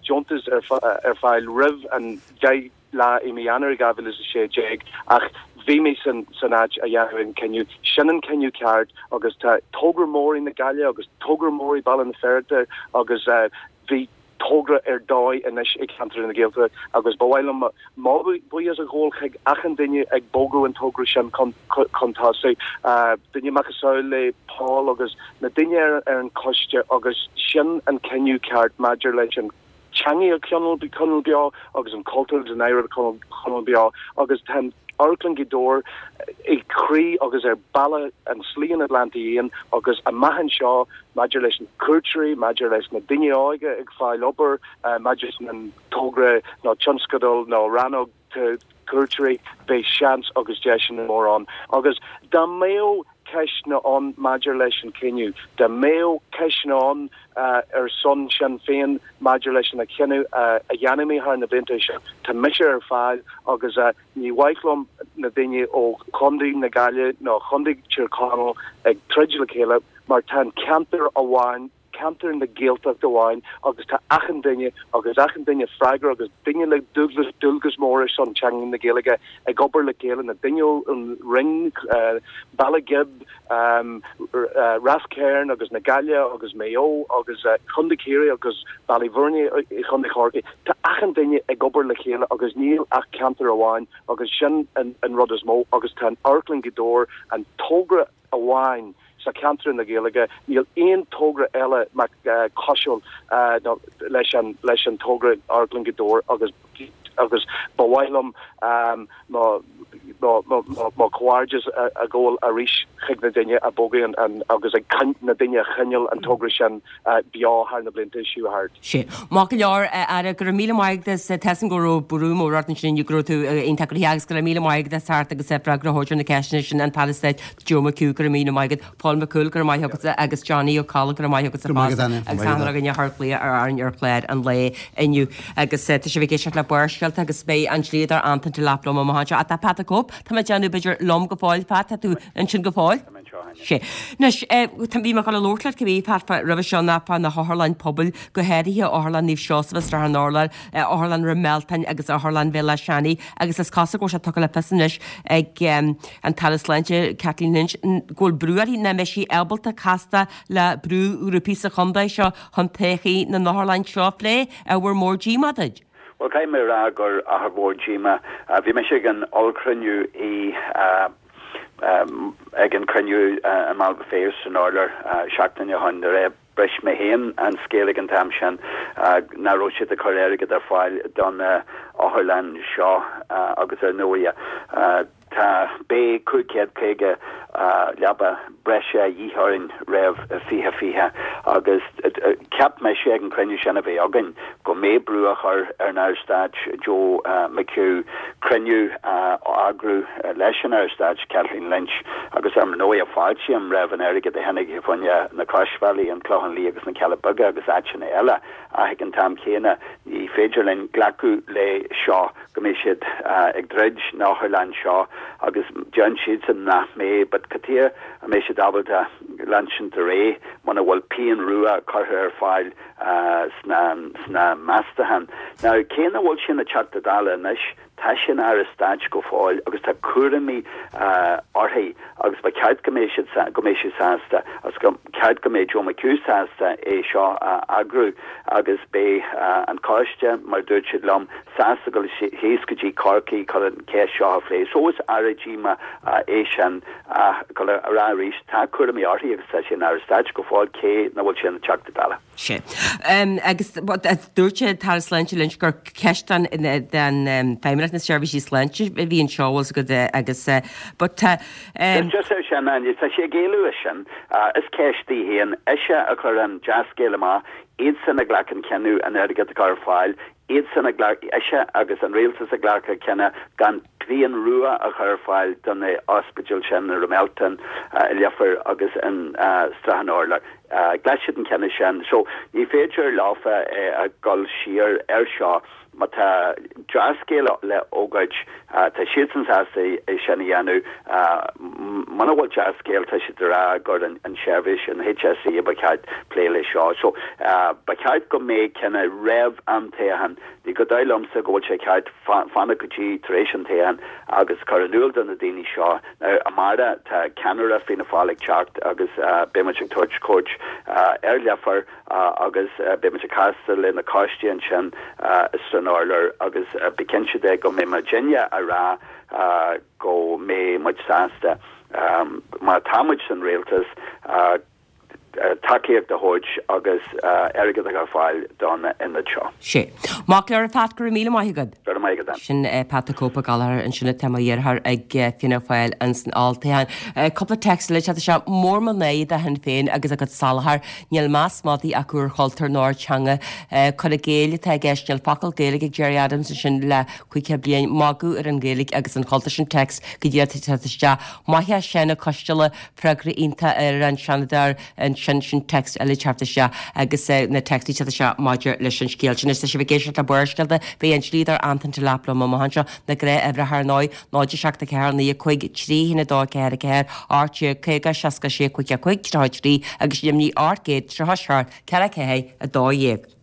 deontas ar fáil roimh an 10 lá i mí Eanáir 2016 ach bhí mé san áit a dhéanamh an cinneadh. Sin an cinneadh ceart agus tá togra mór i na Gaillimhe agus togra mór i Baile na Feirste agus bhí togra ar dóigh anois i gceantar na Gaeltachta agus ba mhaith liom mo bhuíochas a ghabháil chuig achan duine ag bogadh an togra sin chun tosaigh, duine macasamhail le Paul agus na daoine ar an choiste agus sin an cinneadh ceart maidir leis an teangaidh a choinneáil beo agus an cultúr agus an oidhreacht a choinneáil beo agus tá an Amharclann Ghaoth Dobhair i gcroí agus ar bealach an Slí an Atlantaigh Fhiáin agus amach anseo maidir leis na cuairteoirí, maidir leis na daoine óga ag fáil obair, maidir leis an togra nó tionscadal nó rannóg cuairteoirí, beidh seans agus deiseanna mór ann. Agus dá mbeadh ceisteanna ann maidir leis an cinneadh, dá mbeadh ceisteanna ann ar son Sinn Féin maidir leis an chinneadh a dhéanfaidh mé thar na blianta seo, tá mise ar fáil agus ní mhaith liom na daoine ó Chontae na Gaillimhe nó Chontae Tír Chonaill ag troid le chéile mar tá an ceantar amháin, ceantar na Gaeltachta amháin agus tá achan duine agus achan duine freagrach agus duine le dualgas, dualgas mór ar son teanga na Gaeilge ag obair le chéile, na daoine ón Rinn, Baile Ghib, Ráth Cairn agus na Gaillimhe agus Maigh Eo agus Contae Chiarraí agus Baile Bhúirne i Chontae Chorcaí. Tá achan duine ag obair le chéile agus níl ach ceantar amháin agus sin an rud is mó agus tá an Amharclann Ghaoth Dobhair, an togra amháin sa cheantar na Gaeilge, níl aon togra eile cosúil leis an leis an togra Amharclann Ghaoth Dobhair agus agus ba mhaith liom mo mo chomhghairdeas a ghabháil arís chuig na daoine a bhogadh an agus ag na daoine a choinneáil an togra sin beo thar na blianta seo thart. Sea. Maith go leor, a Aire, go raibh míle maith agat as, tá 'fhios a'm go raibh brú mór ort ansin inniu, go raibh tú iontach gnoitheach agus go raibh míle maith agat as teacht agus freagra a thabhairt ar na ceisteanna sin, an tAire Stáit Joe McHugh, go raibh míle maith agat, Paul McCool, go raibh maith agatsa agus Johnny Ó Colla, go raibh maith agatsa fosta agus achan duine a chuir glaoch ar orainn ar chlár an lae inniu. Agus tá sibh ag éisteacht le Barrscéalta agus beidh an dlíodóir Anton Delap liom amach anseo. Ach tá Pat the Cope. Cóip, tá mé ag déanamh b'fhéidir liom go fóill, Pat, tá tú ansin go fóill? Tá mé anseo, Áine. Sea. Anois, bhí mé ag dul a labhairt leat cibé, Pat, roimhe seo ná fá na hotharlann pobail, go háirithe Otharlann Naomh Seosamh i Srath an Urláir, Otharlann Ráth Mealtain agus Otharlann Bhéal Átha Seanaidh agus is cosúil go bhfuil sé tugtha le fios anois ag an tAire Sláinte, Kathleen Lynch, go bhfuil brú uirthi nach mbeidh sí ábalta castáil le brúghrúpaí sa chontae seo chun todhchaí na n-otharlann seo a phlé. Ábhar mór díomá duit? Bhuel, caithfidh mé a rá gur ábhar mór díomá. Bhí mise ag an ollchruinniú i ag an cruinniú i mBaile Phéas san Urlár seachtain ó shin nuair a bhris mé féin an scéal ag an t-am sin nach raibh siad ag cur airgead ar fáil do na otharlann seo agus ar ndóigh Tá, beidh 550 leaba breise a dhíth orainn roimh 2020 agus cheap mise ag an chruinniú sin a bhí againn go mbeidh brú á chur ar an Aire Stáit Joe McHugh cruinniú a eagrú leis an Aire Stáit Kathleen Lynch agus ar ndóigh fáiltím roimh an airgead a tháinig fá choinne na Croisbhealaí, an Clochán Liath agus na Cealla Beaga agus áiteanna eile ach ag an t-am céanna ní féidir linn glacadh le seo. go mbeidh siad ag druid na otharlann seo agus deireann siadsan nach mbeidh but cad chuige a mbeidh siad ábalta leanstan ar aghaidh muna bhfuil pingin rua curtha ar fáil sna sna meastacháin. Now cé nach bhfuil sé ina Teachta Dála anois tá sé ina Aire Stáit go fóill agus tá cúraimí uirthi agus ba cheart go mbeidh siad go mbeidh sí sásta agus go ceart go mbeidh Joe McHugh sásta é seo a eagrú agus beidh an coiste, mar a dúirt siad liom, sásta dul síos go dtí Corcaigh chun an cheist seo a phlé. So is ábhar díomá é sin ach ag dul a rá arís, tá cúraimí uirthi agus tá sí ina Aire Stáit go fóill cé nach bhfuil sí ina Teachta Dála. Sea. Agus dúirt an tAire Sláinte Lynch gur ceist den Feidhmeannacht na Seirbhísí Sláinte a bhí anseo, bhfuil 's agat, agus but tá. Just ar sin, Áine, tá sí ag éalú as sin. Is ceist di féin. Ise a chuir an dea-scéal amach, iadsan a ghlac an cinneadh an airgead a chur ar fáil, iadsan a ghlac, ise agus an rialtas a ghlac an cinneadh gan pingin rua a chur ar fáil do na ospidéil sin i Ráth Mealtain, i Leifear agus in Srath an Urláir. Ghlac siad an cinneadh sin. So ní féidir leofa a dhul siar air seo. Má tá dea-scéal le fógairt, tá siadsan sásta é sin a dhéanamh. Muna bhfuil dea-scéal, tá siad ag rá gur an tseirbhís, an HSE a ba cheart plé leis seo. So, ba cheart go mbeadh cinneadh roimh an toghchán. Ní go dóigh liomsa go bhfuil sé ceart fanacht go dtí tar éis an toghcháin agus cur in iúl do na daoine seo. Now, amárach tá ceannaire Fianna Fáil ag teacht agus beidh muid ag tabhairt cuairt ar Leifear. agus beidh muid ag castáil le na coistí ansin san urlár agus bí cinnte de go mbeidh muidinne a rá go mbeidh muid sásta, má tá muid san rialtas, tacaíocht a thabhairt agus airgead a chur ar fáil don ionad seo. Sea. Mac Léir, Pat, go raibh míle maith agat. Go raibh maith agat. Sin Pat the Cope Ó Gallchóir ansin atá mar iarrthóir ag Fianna Fáil ins an olltoghchán. Cúpla téacs eile teacht isteach. Mór mo náire do Shinn Féin agus a gcuid salachar. Níl meas madaidh acu ar chultúr ná ar teanga. Cur i gcéill atá i gceist. Níl focal Gaeilge ag Gerry Adams ansin le 50 bliain. Magadh ar an Ghaeilge agus an chultúr sin téacs go díreach ag teacht isteach. Maith é Seán Ó Coisteala, freagra iontach ar an Seanadóir ansin. Sin téacs eile ag teacht isteach agus na téacsanna ag teacht isteach maidir leis an scéal sin. Anois tá sibh ag éisteacht le Barrscéalta. Beidh an dlíodóir Antain Delap liom amach anseo. Na gnáthuimhreacha ar ndóigh. 0 7 4 9 5 3 1 2 4 4 18 50 66 55 33 agus Luimnigh 837 4 4 12.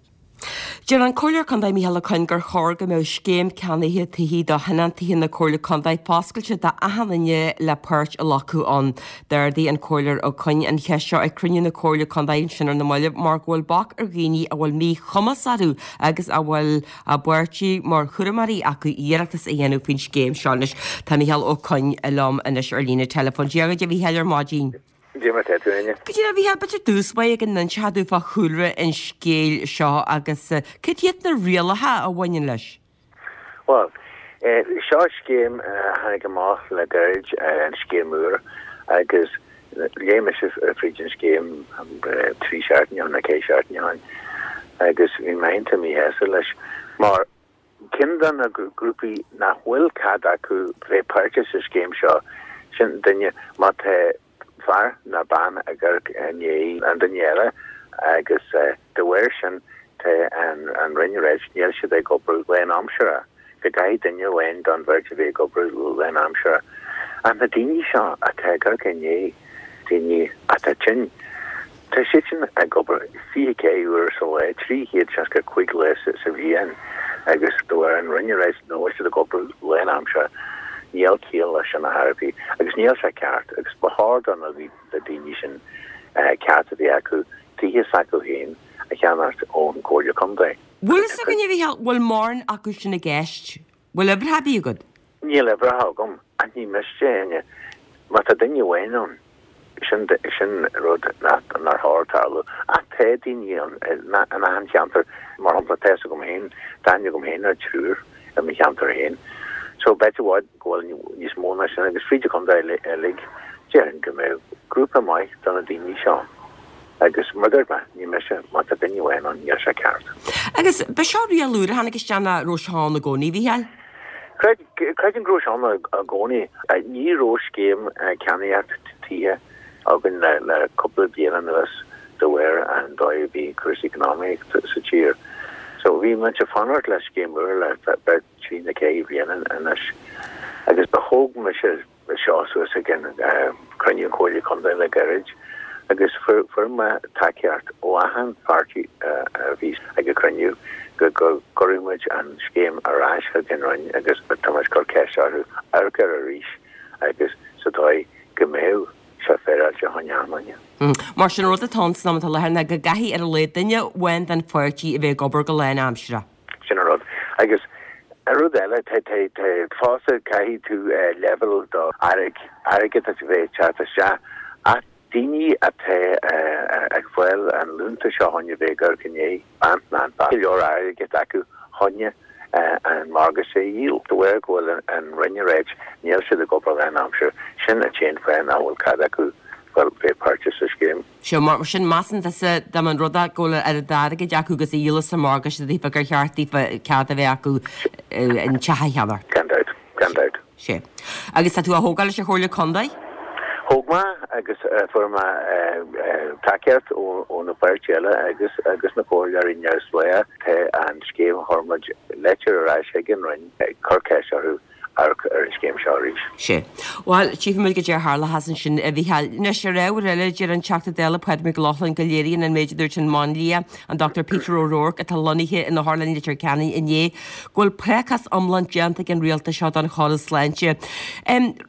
Deir an Comhairleoir Contae Micheál Ó Coinn gur chóir go mbeadh scéim ceannaithe tithí do thionóntaithe na Comhairle Contae foscailte d'achan duine le páirt a ghlacadh ann. D'ardaigh an Comhairleoir Ó Coinn an cheist seo ag cruinniú na Comhairle Contae ansin ar na mallaibh mar go bhfuil bac ar dhaoine a bhfuil míchumas orthu agus a bhfuil a bpáirtí mar chúramóirí acu iarratas a dhéanamh faoin scéim seo anois. Tá Micheál Ó Coinn liom anois ar líne teileafóin. Dia dhuit a Mhichíl ar maidin. Dia mar tá tú, Áine. Go díreach, a Mhichíl, b'fhéidir dtús báire go n-inseofá dúinn fá chúlra an scéil seo agus cad iad na rialacha a bhaineann leis? Bhuel, seo scéim a tháinig amach le gairid, an scéim úr, agus Léigh mise fríd an scéim trí seachtaine ó shin nó ceithre seachtaine ó shin agus bhí mé iontach míshásta leis mar ceann de na grúpaí nach bhfuil cead acu bheith páirteach sa scéim seo, sin duine má tá fear nó bean ag amharc i ndiaidh an duine eile agus de bharr sin tá an Roinn ag ráit níl siad ag obair lánaimseartha. Go gcaithfidh duine amháin don bheirt a bheith ag obair lánaimseartha. Ach na daoine seo atá ag amharc i ndiaidh daoine atá tinn, tá siadsan ag obair 24 uair sa lá, 365 lá sa bhliain agus de bharr an Roinn ag ráit nach bhfuil siad ag obair lánaimseartha, níl ciall leis sin ar chor ar bith agus níl sé ceart agus ba chóir do na daoine sin ceart a bheith acu tithe s'acu féin a cheannacht ón gComhairle Contae. Bhfuil fhios againn, a Mhícheáil, bhfuil mórán acu sin i gceist? Bhfuil uimhreacha ar bith agat? Níl uimhreacha agam, ach ní miste, Áine. Má tá duine amháin ann, sin, sin rud nach, nár chóir tarlú. Ach tá daoine ann in achan cheantar, mar shampla, tá fhios agam féin, tá aithne agam féin ar triúr i mo cheantar féin. So b'fhéidir i bhfad go bhfuil níos mó ná sin agus fríd an chontae uilig, déarfainn go mbeadh grúpa maith de na daoine seo. Agus mar a dúirt mé, ní miste, má tá duine amháin ann, níl sé ceart. Agus ba seo riail úr a tháinig isteach nó raibh sé ann i gcónaí, a Mhícheáil? Creidim go raibh sé ann i gcónaí. Ní raibh scéim ceannaíocht tithe againn le cúpla bliain anuas de bharr an dóigh a bhí cúrsaí eacnamaíochta sa tír. So bhí muid ag fanacht le scéim úr le b'fhéidir trí nó ceithre bliana anois. Agus ba thóg mise seo suas ag an cruinniú Comhairle Contae le gairid agus fuair mé tacaíocht ó achan pháirtí a bhí ag an cruinniú go gcuirfeadh muid an scéim ar ais chuig an Roinn agus tá muid ag cur ceist orthu amharc air arís agus sa dóigh go mbeadh sé féaráilte fá choinne achan duine. Mar sin an rud atá ann san am atá i láthair ná go gcaithfidh ar a laghad duine amháin den pháirtí a bheith ag obair go lánaimseartha. Sin an rud. Agus an rud eile, tá, tá, tá, fosta caithfidh tú leibhéal do airgead a bheith ag teacht isteach ach daoine atá ag fáil an liúntas seo chun a bheith ag amharc i ndiaidh bean ná an fear, go leor airgead acu chun an morgáiste a dhíol. De bharr go bhfuil an Roinn ag ráit níl siad ag obair lánaimseartha, sin an t-aon fáth nach bhfuil cead acu bheith páirteach sa scéim. Sea, mar sin, measann tusa, dá mba an rud é go bhfuil oiread airgid acu agus a dhíolas an morgáiste daofa gur cheart daofa cead a bheith acu an teach a cheannacht. Gan dabht, gan dabht. Sea. Agus tá tú á thógáil leis an Chomhairle Contae? Thóg mé agus fuair mé tacaíocht ó na páirtithe eile agus agus na comhairleoirí neamhspleácha. Tá an scéim, chuir muid leitir ar ais chuig an Roinn ag cur ceist orthu amharc ar an scéim seo arís. Sea. Bhuel, tchífimid goidé a tharlóchas ansin, a Mhícheáil. Anois, ar ábhar eile, deir an Teachta Dála Pádraig Mac Lochlainn go léiríonn an méid a dúirt an máinlia, an Dr Peter O'Rourke, atá lonnaithe in Otharlann Leitir Ceanainn inné, go bhfuil prácás iomlán déanta ag an rialtas seo don chóras sláinte.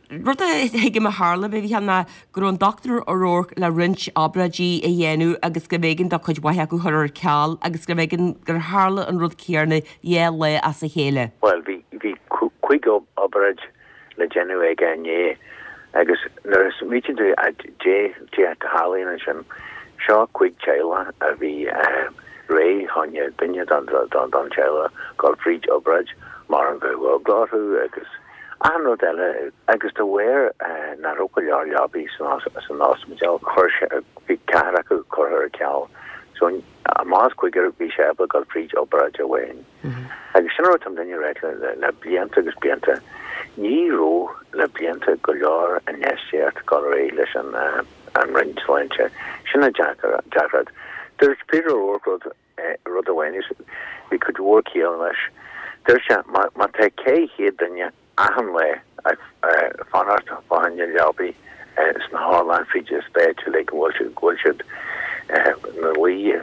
Rud a thuigim a tharla, a Mhícheáil, ná go raibh an Dr O'Rourke le roinnt obráidí a dhéanamh agus gurbh éigean dó cuid mhaith acu a chur ar ceal agus gurbh éigean gur tharla an rud céanna dhá lá as a chéile. Bhuel, bhí, bhí cuig obráid le déanamh aige inné agus nuair a smaoitíonn tú goidé a tharlaíonn ansin, seo cuig teaghlach a bhí réidh chun duine don teaghlach dul fríd obráid mar an bheadh eagla orthu agus achan rud eile agus de bharr nach raibh go leor leabaí san ospidéal chuir sé, bhí ceathrar acu curtha ar ceal. So amach as cúigear bhí sé ábalta dul fríd obráid amháin. Agus sin an rud atá muidinne ag ráit le blianta agus blianta, ní raibh le blianta go leor infheistíocht ag dul ar aghaidh leis an Roinn Sláinte. Sin an deacracht. Dúirt Peter O'Rourke rud rud amháin agus bhí cuid mhór ciall leis. Dúirt sé, má tá 400 duine achan lá ag fanacht fá choinne leabaí sna hotharlanna fríd an stáit uilig go bhfuil siad ina luí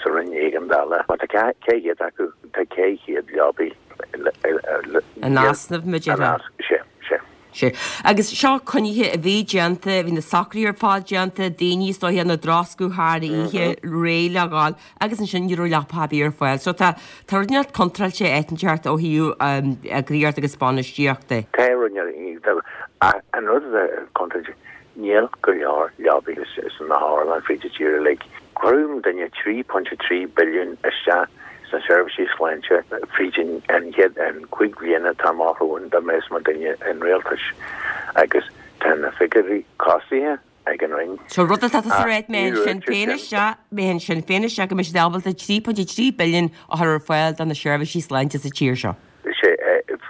sa roinn éigeandála, má tá 400 acu, tá 400 leabaí In easnamh, mar a déarfá. Sea, sea. Sea. Agus seo coinnithe a bhí déanta, bhí na socruithe ar fad déanta, daoine is dóiche ina dtroscadh thar oíche, réidh le dhul, agus ansin ní raibh leapa ar bith ar fáil. So tá, tá rud inteacht contráilte áit inteacht ó thaobh eagraíocht agus bainistíocht de. Tá rud inteacht, an rud atá contráilte, níl go leor leabaí sna hotharlanna fríd an tír uilig. Chuir muidinne 3.3 billiún isteach sna seirbhísí sláinte fríd an chéad an chúig bhliana atá amach romhainn dá mbeas muidinne in rialtas agus tá na figiúirí costaithe ag an Roinn. So rud atá tusa a ráit mbeidh Sinn Féin isteach, mbeidh Sinn Féin isteach go mbeidh siad ábalta 3.3 billiún a chur ar fáil do na seirbhísí sláinte sa tír seo. Sea,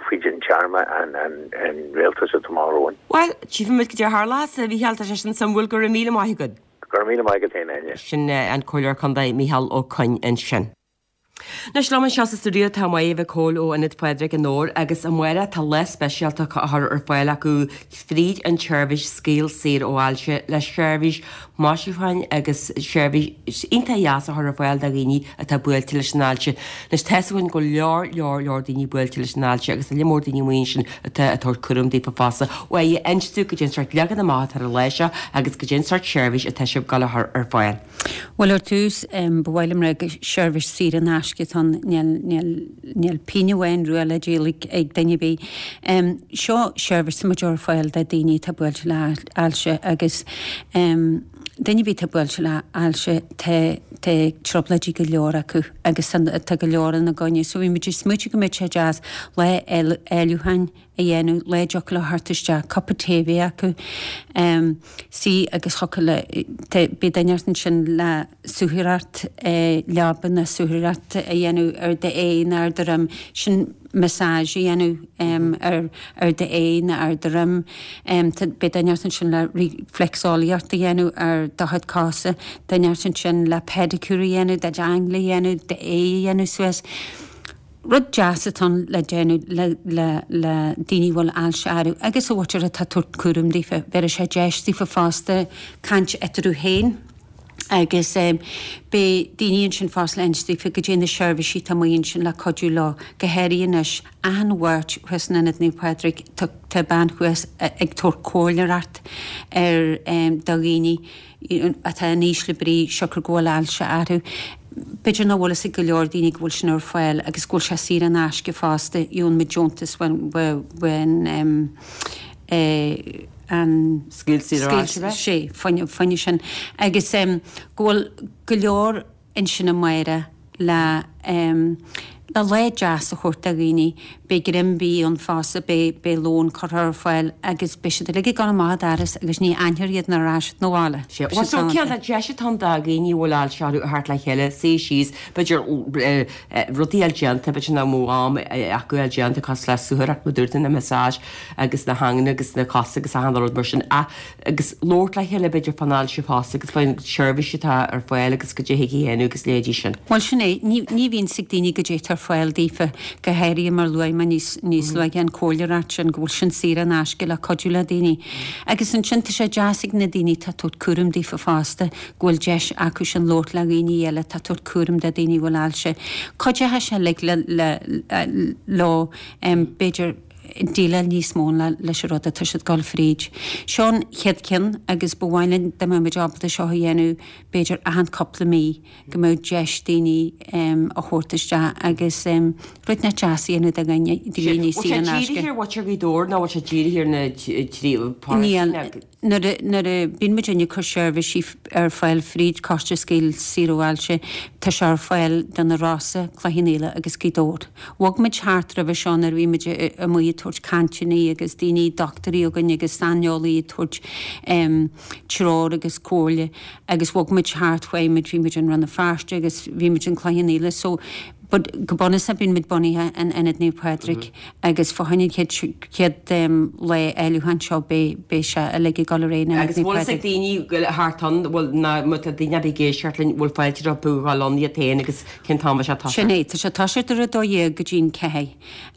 fríd an téarma an rialtas atá amach romhainn. Bhuel, tchífimid goidé a tharlós, a Mhícheáil, tá sé sin suimiúil, go raibh míle maith agat. Go raibh míle maith agat féin, Áine. Sin an Comhairleoir Contae Mícheál Ó Coinn ansin. Anois liom anseo sa stiúideo tá Máire Mhic Cóil ó Ionad Phádraig i nDobhar agus amárach tá lá speisialta á chur ar fáil acu fríd an tseirbhís Scaoll Saor ó Ailse le seirbhís maisiúcháin agus seirbhís iontach dheas a chur ar fáil do dhaoine atá buailte leis an ailse. Anois tá's againn go leor leor leor daoine buailte leis an ailse agus tá lear mór daoine amuigh ansin atá ag tabhairt cúram daofa fosta. Mháire, inis dúinn goidé an sórt leagan amach atá ar an lá seo agus goidé an sórt seirbhís atá sibh ag dul a chur ar fáil. Bhuel, ar dtús, ba mhaith liom rá gur seirbhís saor in aisce atá ann, níl, níl, níl pingin amháin rua le díol ag, ag duine ar bith. Seo seirbhís atá muid a chur ar fáil do daoine atá buailte le ailse agus duine ar bith atá buailte le ailse tá, tá trioblóidí go leor acu agus tá, tá go leor ina gcoinne. So bhí muid ag smaoitiú go mbeadh sé deas lá áilliúcháin a dhéanamh, lá a dtiocfadh leo theacht isteach, cupa tae a bheith acu, suí agus thiocfadh le, beidh duine inteacht ansin le suathaireacht leaba nó suathaireacht a dhéanamh ar d'aghaidh nó ar do dhroim, sin massage a dhéanamh ar ar d'aghaidh nó ar do dhroim, beidh duine inteacht ansin le reflexolaíocht a dhéanamh ar do chuid cosa, duine inteacht ansin le pedicure a dhéanamh, do d'ingle a dhéanamh, d'aghaidh a dhéanamh suas. Rud deas atá ann le déanamh le le le daoine a bhfuil ailse orthu agus a mhuintir atá ag tabhairt cúram daofa. Bhéarfaidh sé deis daofa fosta caint eatarthu féin agus beidh daoine ansin fosta le insint daofa goidé na seirbhísí atá amuigh ansin le cuidiú leo, go háirithe anois achan Mháirt thuas in Ionad Naomh Pádraig tá tá bean thuas ag tabhairt comhairleoireacht ar do dhaoine. atá in ísle brí siocair go bhfuil ailse orthu. B'fhéidir nach bhfuil fhios ag go leor daoine go bhfuil sin ar fáil agus go bhfuil sé saor in aisce fosta, gheobhann muid deontas uaidh an Scaoll Saor ó Ailse, Sea, fá choinne sin. Agus go bhfuil go leor ansin amárach le le lá deas a thabhairt do dhaoine. Beidh greim bídh ann fosta, beidh beidh lón curtha ar fáil agus beidh siad uilig ag dul amach an doras agus ní aithneofar iad nuair a rachaidh siad 'na bhaile. Sea, bhuel so cén deis atá ann do dhaoine a bhfuil ailse orthu a theacht le chéile, suí síos, b'fhéidir rudaí a fháil déanta, b'fhéidir nach mbeadh am acu a fháil déanta cosúil le suathaireacht mar a dúirt tú, na massage agus na haingle agus na cosa agus achan rud mar sin ach agus labhairt le chéile b'fhéidir fán ailse fosta agus faoin seirbhís atá ar fáil agus goidé thig a dhéanamh agus leithéidí sin. Bhuel sin é, ní ní bhíonn 's ag daoine goidé atá ar fáil daofa, go háirithe mar luaigh mé níos níos luaithe an comhairleoireacht sin, go bhfuil sin saor in aisce le cuidiú le daoine. Agus ansin tá sé deas ag na daoine atá ag tabhairt cúram daofa fosta, go bhfuil deis acu sin labhairt le dhaoine eile atá ag tabhairt cúram do daoine a bhfuil ailse. Cuideoidh sé uilig le le leo b'fhéidir, déileáil níos mó leis an rud atá siad ag dul fríd. Seo an chéad cheann agus ba mhaith linn dá mbeadh muid ábalta seo a dhéanamh b'fhéidir achan cúpla mí go mbeadh deis daoine a thabhairt isteach agus rud inteacht deas a dhéanamh do dhaoine Bhfuil saor sé in aisce. dírithe ar mhuintir Ghaoth Dobhair nó bhfuil sé dírithe ar na Níl. Nuair a nuair a bíonn muid ag cur seirbhísí ar fáil fríd Coiste Scaoll Saor ó Ailse, tá sé ar fáil do na Rosa, Cloich Cheann Fhaola agus Gaoth Dobhair. Bhog muid thart roimhe seo nuair a bhí muid amuigh ag tabhairt cainteanna agus daoine, dochtúirí againn agus saineolaí ag tabhairt treoir agus comhairle agus bhog muid thart, chuaigh muid, bhí muid in Rann na Feirste agus bhí muid in Cloich Cheann Fhaola so But go bunúsach bíonn muid bunaithe in Ionad Naomh Pádraig agus fá choinne an chéad chéad lá áilliúcháin seo beidh beidh sé uilig ag dul ar aghaidh in Ionad Agus Naomh bhfuil fhios ag Pádraig. daoine go thart ann, bhfuil ná má tá daoine ar bith ag éisteacht linn, bhfuil fáilte rompu a dhul ann iad féin agus cén t-am a bheidh sé ag Sin toiseacht? é, tá sé ag toiseacht ar a 12 go dtí'n 4.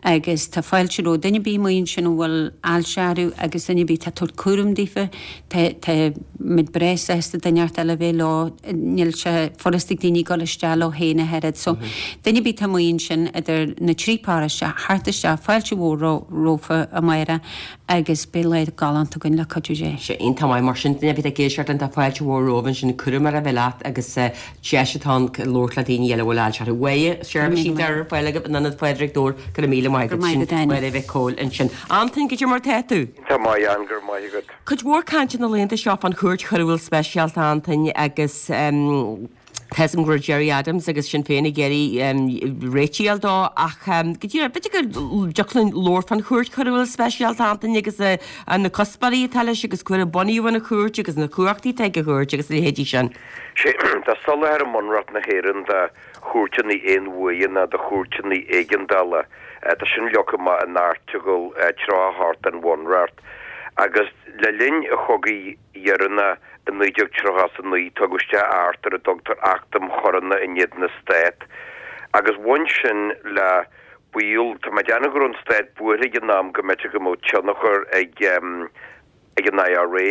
Agus tá fáilte roimh duine ar bith amuigh ansin a bhfuil ailse orthu agus duine ar bith atá ag tabhairt cúram daofa, tá, tá muid breá sásta duine inteacht eile a bheith leo, níl sé furasta ag daoine dul isteach leo féin ach oiread. So, duine ar bith atá amuigh ansin idir na trí paróiste, theacht isteach, fáilte mhór rompu amárach agus beidh lá galánta againn le cuidiú Dé. Sé iontach maith mar sin, duine ar bith ag éisteacht linn tá fáilte mhór romhaibh ansin, cúram ar a bheith leat agus deis atá ann labhairt le daoine eile a bhfuil ailse orthu. Mháire, seirbhísí atá ar fáil agaibh in Ionad Phádraig Dobhair, go raibh míle maith agat. Go raibh maith Sin agat, Áine. Máire Mhic Cóil ansin. Antain, goidé mar tá tú? Iontach maith, Ann, go raibh maith agat. Cuid mhór cainte na laethanta seo fán Chúirt Choiriúil Speisialta, Antain, agus. Tá 'fhios agam go raibh Gerry Adams agus Sinn Féin ag iarraidh réitigh a fháil dó ach go díreach, b'fhéidir go dtiocfadh linn labhairt fán Chúirt Choiriúil Speisialta, Antain, agus na cuspóirí atá leis agus cá huair a bunaíodh an chúirt agus na cumhachtaí atá ag an chúirt agus a leithéidí sin. Sea, tá soláthar i mBunreacht na hÉireann do chúirteanna aon-uaire nó do chúirteanna éigeandála. Tá sin leagtha amach in Airteagal 38 den Bhunreacht. Agus le linn an chogaidh dheireanach i 1939 tugadh isteach Acht ar a dtugtar Acht um Choireanna in éadan na Stát. Agus bhain sin le baol, tá mé ag déanamh go raibh an stát buartha ag an am go mb'fhéidir go mbeadh tionchar ag ag an IRA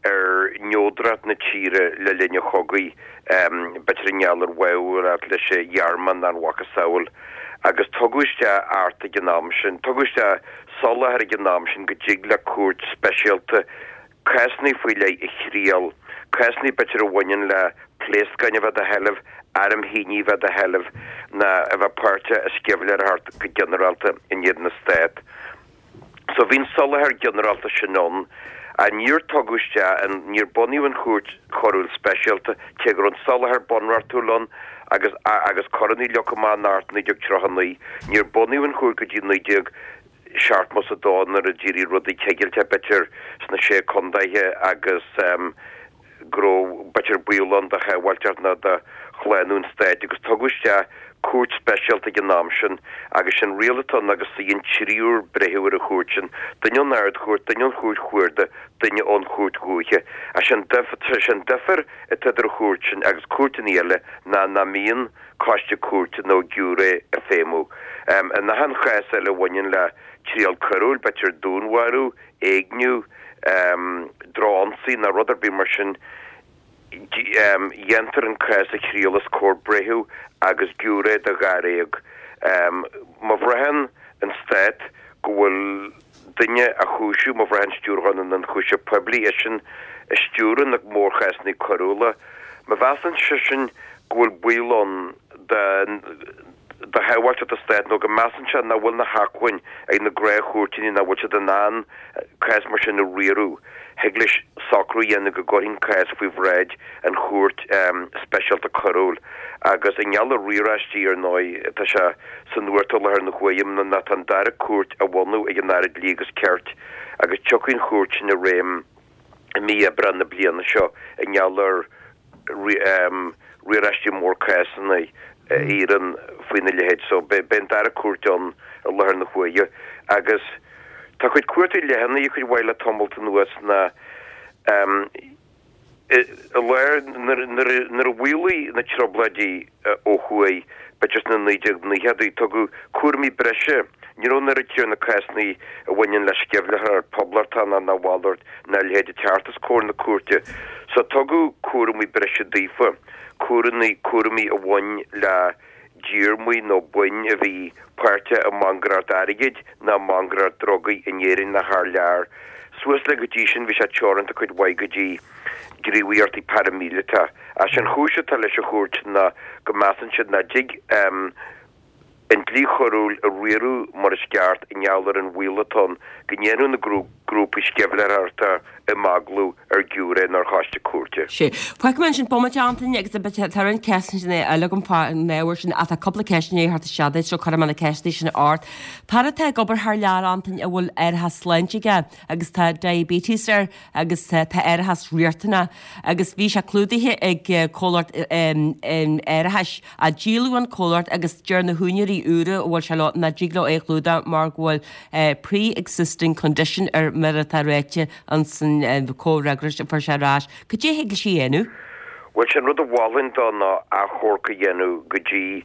ar neodracht na tíre le linn an chogaidh, b'fhéidir i ngeall ar bháúlacht leis an Ghearmáin nó a mhacasamhail. Agus tugadh isteach Acht ag an am sin, tugadh isteach soláthar ag an am sin go dtig le cúirt speisialta cásanna faoi leith a thriail, cásanna b'fhéidir a bhaineann le pléascáin a bheith i do sheilbh, airm thine a bheith i do sheilbh, ná a bheith páirteach i sceimhlitheoireacht go ginearálta in éadan an Stát. So bhí an soláthar ginearálta sin ann, ach níor tugadh isteach an, níor bunaíodh an Chúirt Choiriúil Speisialta, cé go raibh an soláthar bunreachtúil ann agus, agus coireanna leagtha amach in Acht 1939, níor bunaíodh an chúirt go dtí 1972 nuair a d'éirigh rudaí cigilteach b'fhéidir sna Sé Contaethe agus go raibh b'fhéidir baol ann do shábháilteacht nó do shlánú an stáit agus tugadh isteach cúirt speisialta ag an am sin agus sin riail atá ann agus suíonn triúr breitheamh ar an chúirt sin, duine ón Ard-Chúirt, duine ón Chúirt Chuarda, duine ón Chúirt Dhúiche. Is é an difear atá idir an chúirt sin agus cúirteanna eile ná nach mbíonn coiste cúirte nó giúiré ag feidhmiú. In achan chás eile a bhaineann le triail coiriúil, b'fhéidir dúnmharú, éigniú, drochionsaí nó rud ar bith mar sin, dhéantar an cás a thriail os comhair breitheamh agus giúiré de dháréag. Má bhraitheann an Stát go bhfuil duine á chúiseamh, má bhraitheann Stiúrthóir na nIonchúiseamh Poiblí, eisean a stiúrann na mórchásanna coiriúla, má mheasann seisean go bhfuil baol ann do shábháilteacht an Stáit nó go measann sé nach bhfuil na hacmhainn ag na gnáthchúirteanna, nach bhfuil siad in ann cás mar sin a riaradh, thig leis socrú a dhéanamh go gcuirfí an cás faoi bhráid an Chúirt Speisialta Coiriúil. Agus i ngeall ar riaráistí, ar ndóigh, tá sé sa nuacht i láthair na huaire ná tá an dara cúirt á bhunú ag an Aire Dlí agus Cirt agus tiocfaidh an chúirt sin i réim i mí Aibreán na bliana seo i ngeall ar riaráistí mór cásanna a iarrann faoina leithéid. So beidh an dara cúirt ann i láthair na huaire agus tá cuid cuartaí leathanaithe cuid mhaith le tamalt anuas ná i lár nuair a mhaolaigh na trioblóidí ó thuaidh b'fhéidir sna 1990idí tugadh cúraimí breise Ní raibh an oiread céanna cásanna a bhaineann le sceimhlitheoireacht poblachtánach ná a mhalairt ná a leithéid ag teacht os comhair na cúirte. So tugadh cúramaí breise daofa, cúramaí, cúramaí a bhain le díormaí nó boinn a bhí páirteach i mbancaireacht airgid ná mbancaireacht drugaí in Éirinn ná thar lear. Suas le go dtí sin bhí sé teoranta cuid mhaith go dtí gníomhaíochtaí paraimíleata. Ach sé an chúis atá leis an chúirt ná go measann siad nach dtig an dlí choiriúil a riaradh mar is ceart i ngeall ar an bhaol atá ann go ndéanfadh na grúpaí sceimhlitheoireachta imeaglú ar ghiúiré nó ar choiste cúirte. Sea. Fágfaidh mé ansin bomaite, Antaine, agus tá roinnt ceisteanna eile agam fán ábhar sin ach tá cúpla ceist i ndiaidh theacht isteach duit so cuirfidh mé na ceisteanna sin ort. Fear atá ag obair thar lear, Antaine, a bhfuil árachas sláinte aige agus tá diabetes air agus tá árachas riachtanach agus bhí sé clúdaithe ag comhlacht árachais Ach díoladh an comhlacht agus deir na húinéirí úra a bhfuil sé leo nach dtig leo é a chlúdach mar go bhfuil pre-existing condition air mar atá ráite ins an comhfhreagras a fuair sé ar ais. Cad é a thig leis a dhéanamh? Bhuel, sé an rud a mholfainn dó ná achomharc a dhéanamh go dtí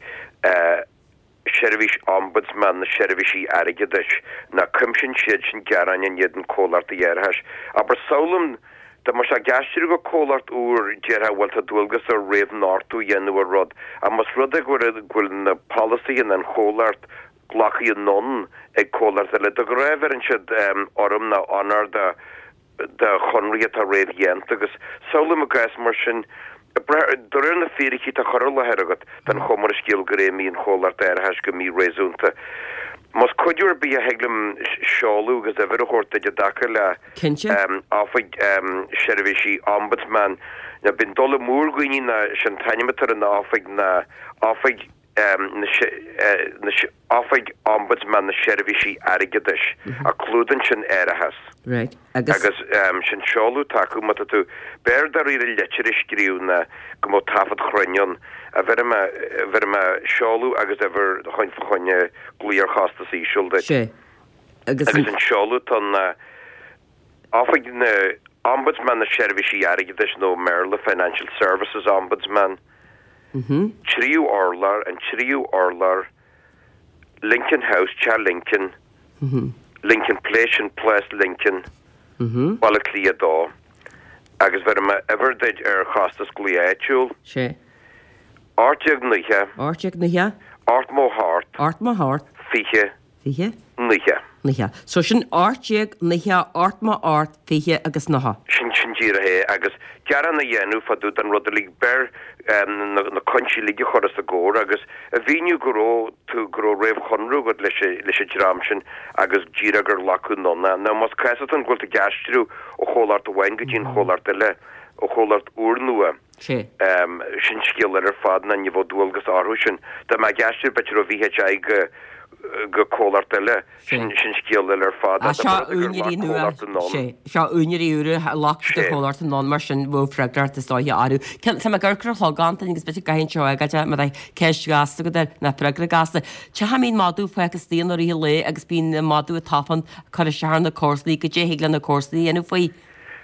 Seirbhís Ombudsman na Seirbhísí Airgeadais, ná cuimsíonn siad sin gearáin in éadan comhlachtaí árachais. Abair, samhlaím, dá mbeadh sé ag aistriú go comhlacht úr, déarfá, bhuel, tá dualgas air réamhnochtadh a dhéanamh ar rud, ach más rud é go bhfuil na polasaithe an chomhlacht glactha anonn ag comhlacht eile, de ghnáth bheireann siad urraim nó onóir do do chonraí atá réamhdhéanta agus samhlaím i gcás mar sin, de réir na fíricí atá curtha i láthair agat, den chuma ar an scéal gur fheidhmigh an chomhlacht árachais go mí-réasúnta. Más cuidiú ar bith a thig liom seoladh agus uimhir a thabhairt duit i dtaca le Oifig Seirbhísí Ombudsman, ná bíonn dul amú ar dhaoine ná sé an t-ainm atá ar an oifig ná Oifig na Oifig Ombudsman na Seirbhísí Airgeadais, a clúdaíonn sin árachas. Right. Agus? Agus sin seoladh atá acu, má tá tú, b'fhearr dáiríre litir a scríobh ná go mbeadh taifead chruinn ann. A bheirfidh mé, bheirfidh mé seoladh agus uimhir chun fá choinne glaoch ar chostas íseal duit. Sea. Agus an. Agus an seoladh atá ann ná Oifig na Ombudsman na Seirbhísí Airgeadais nó i mBéarla Financial Services Ombudsman. 3ú urlár, an 3ú urlár, Lincoln House, Teach Lincoln, Lincoln Place, sin Plás Lincoln, Baile Átha Cliath 2. Agus bhéarfaidh mé uimhir duit ar chostas glaoch áitiúil. Sé. 1890. 1890. 88. 88. 20. 20. 90. 90. So sin 1890, 88, 20 agus 90. Sin, sin díreach é. Agus gearán a dhéanamh fá dtaobh den rud uilig, beir na, na cúinsí uilig a chur os a gcomhair agus a mhíniú go raibh tú, go raibh réamhchonradh agat leis an, leis an dream sin agus díreach gur glacadh anonn é. Now más cás atá ann go bhfuil tú ag aistriú ó chomhlacht amháin go dtí an chomhlacht eile, ó chomhlacht úrnua, Sé. Sin scéal eile ar fad ná ní bheadh dualgas orthu sin. Dá mbeadh ag aistriú b'fhéidir ó VHI go go comhlacht eile, sin sin scéal eile ar fad. Á, seo úinéirí nua. Sé. Seo úinéirí úra a ghlac siad an chomhlacht anonn mar sin bheadh freagracht is dóiche orthu. Cén, tá mé ag amharc ar an chlog Antaine agus b'fhéidir go gcaithfinn seo a fhágáil má tá ceist ghasta agat air ná freagra gasta. Cén chaoi a mbíonn madadh fágtha istigh i rith an lae agus bíonn an madadh ag tafann ag cur isteach ar na comharsanaí, goidé thig le na comharsanaí a dhéanamh faoi.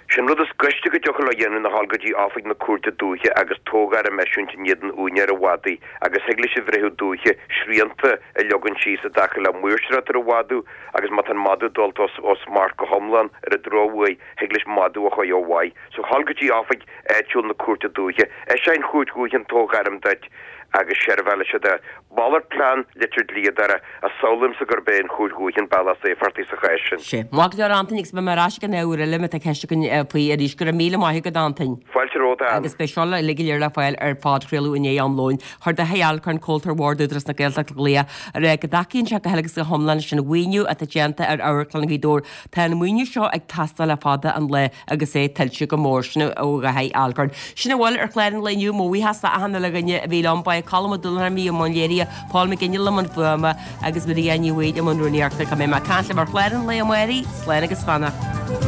Sé'n rud is gaiste go dtiocfadh leo a dhéanamh ná dhul go dtí oifig na cúirte dúiche agus toghairm a eisiúint in éadan úinéir an mhadaidh agus thig leis an bhreitheamh dúiche srianta a leagan síos i dtaca le maoirseoireacht ar an mhadadh agus má tá an madadh dulta ó smacht go hiomlán ar an drochuair thig leis madadh a chur ó mhaith. So dhul go dtí oifig áitiúil na cúirte dúiche. Eiseoidh an chúirt dhúiche an toghairm duit agus seirbheálfaidh siad é. Malairt plean, litir dlíodóra, ach samhlaímse gurb é an Chúirt Dhúiche an bealach is éifeachtaí sa chás sin. Sé. Maith go leor Antaine agus beidh mé ar ais ag an uair eile má tá ceist againn faoi arís. Go raibh míle maith agat Antaine. Fáilte romhat Ann. Agus beidh seo uilig go léir le fáil ar phodchraoladh i ndiaidh am lóin. Chuir Dáithí Alcorn, Comhaltóir Bhord Údarás na Gaeltachta glaoch ag rá go dtacaíonn sé go huile agus go hiomlán leis an mhaoiniú atá déanta ar Amharclann Ghaoth Dobhair. Tá an maoiniú seo ag teastáil le fada an lá agus é tuillte go mór. Sin ó Dháithí Alcorn. Sin a bhfuil ar chlár an lae inniu. Mo bhuíochas le achan uile dhuine a bhí liom. Ba é Colm Ó Dúlacháin a bhí i mbun léirithe, Paul McGinley i mbun fuaime agus Maria Ní Bhaoill i mbun rúnaíochta. Go mbeidh mé ag caint libh ar chlár an lae amárach. Slán agus beannacht.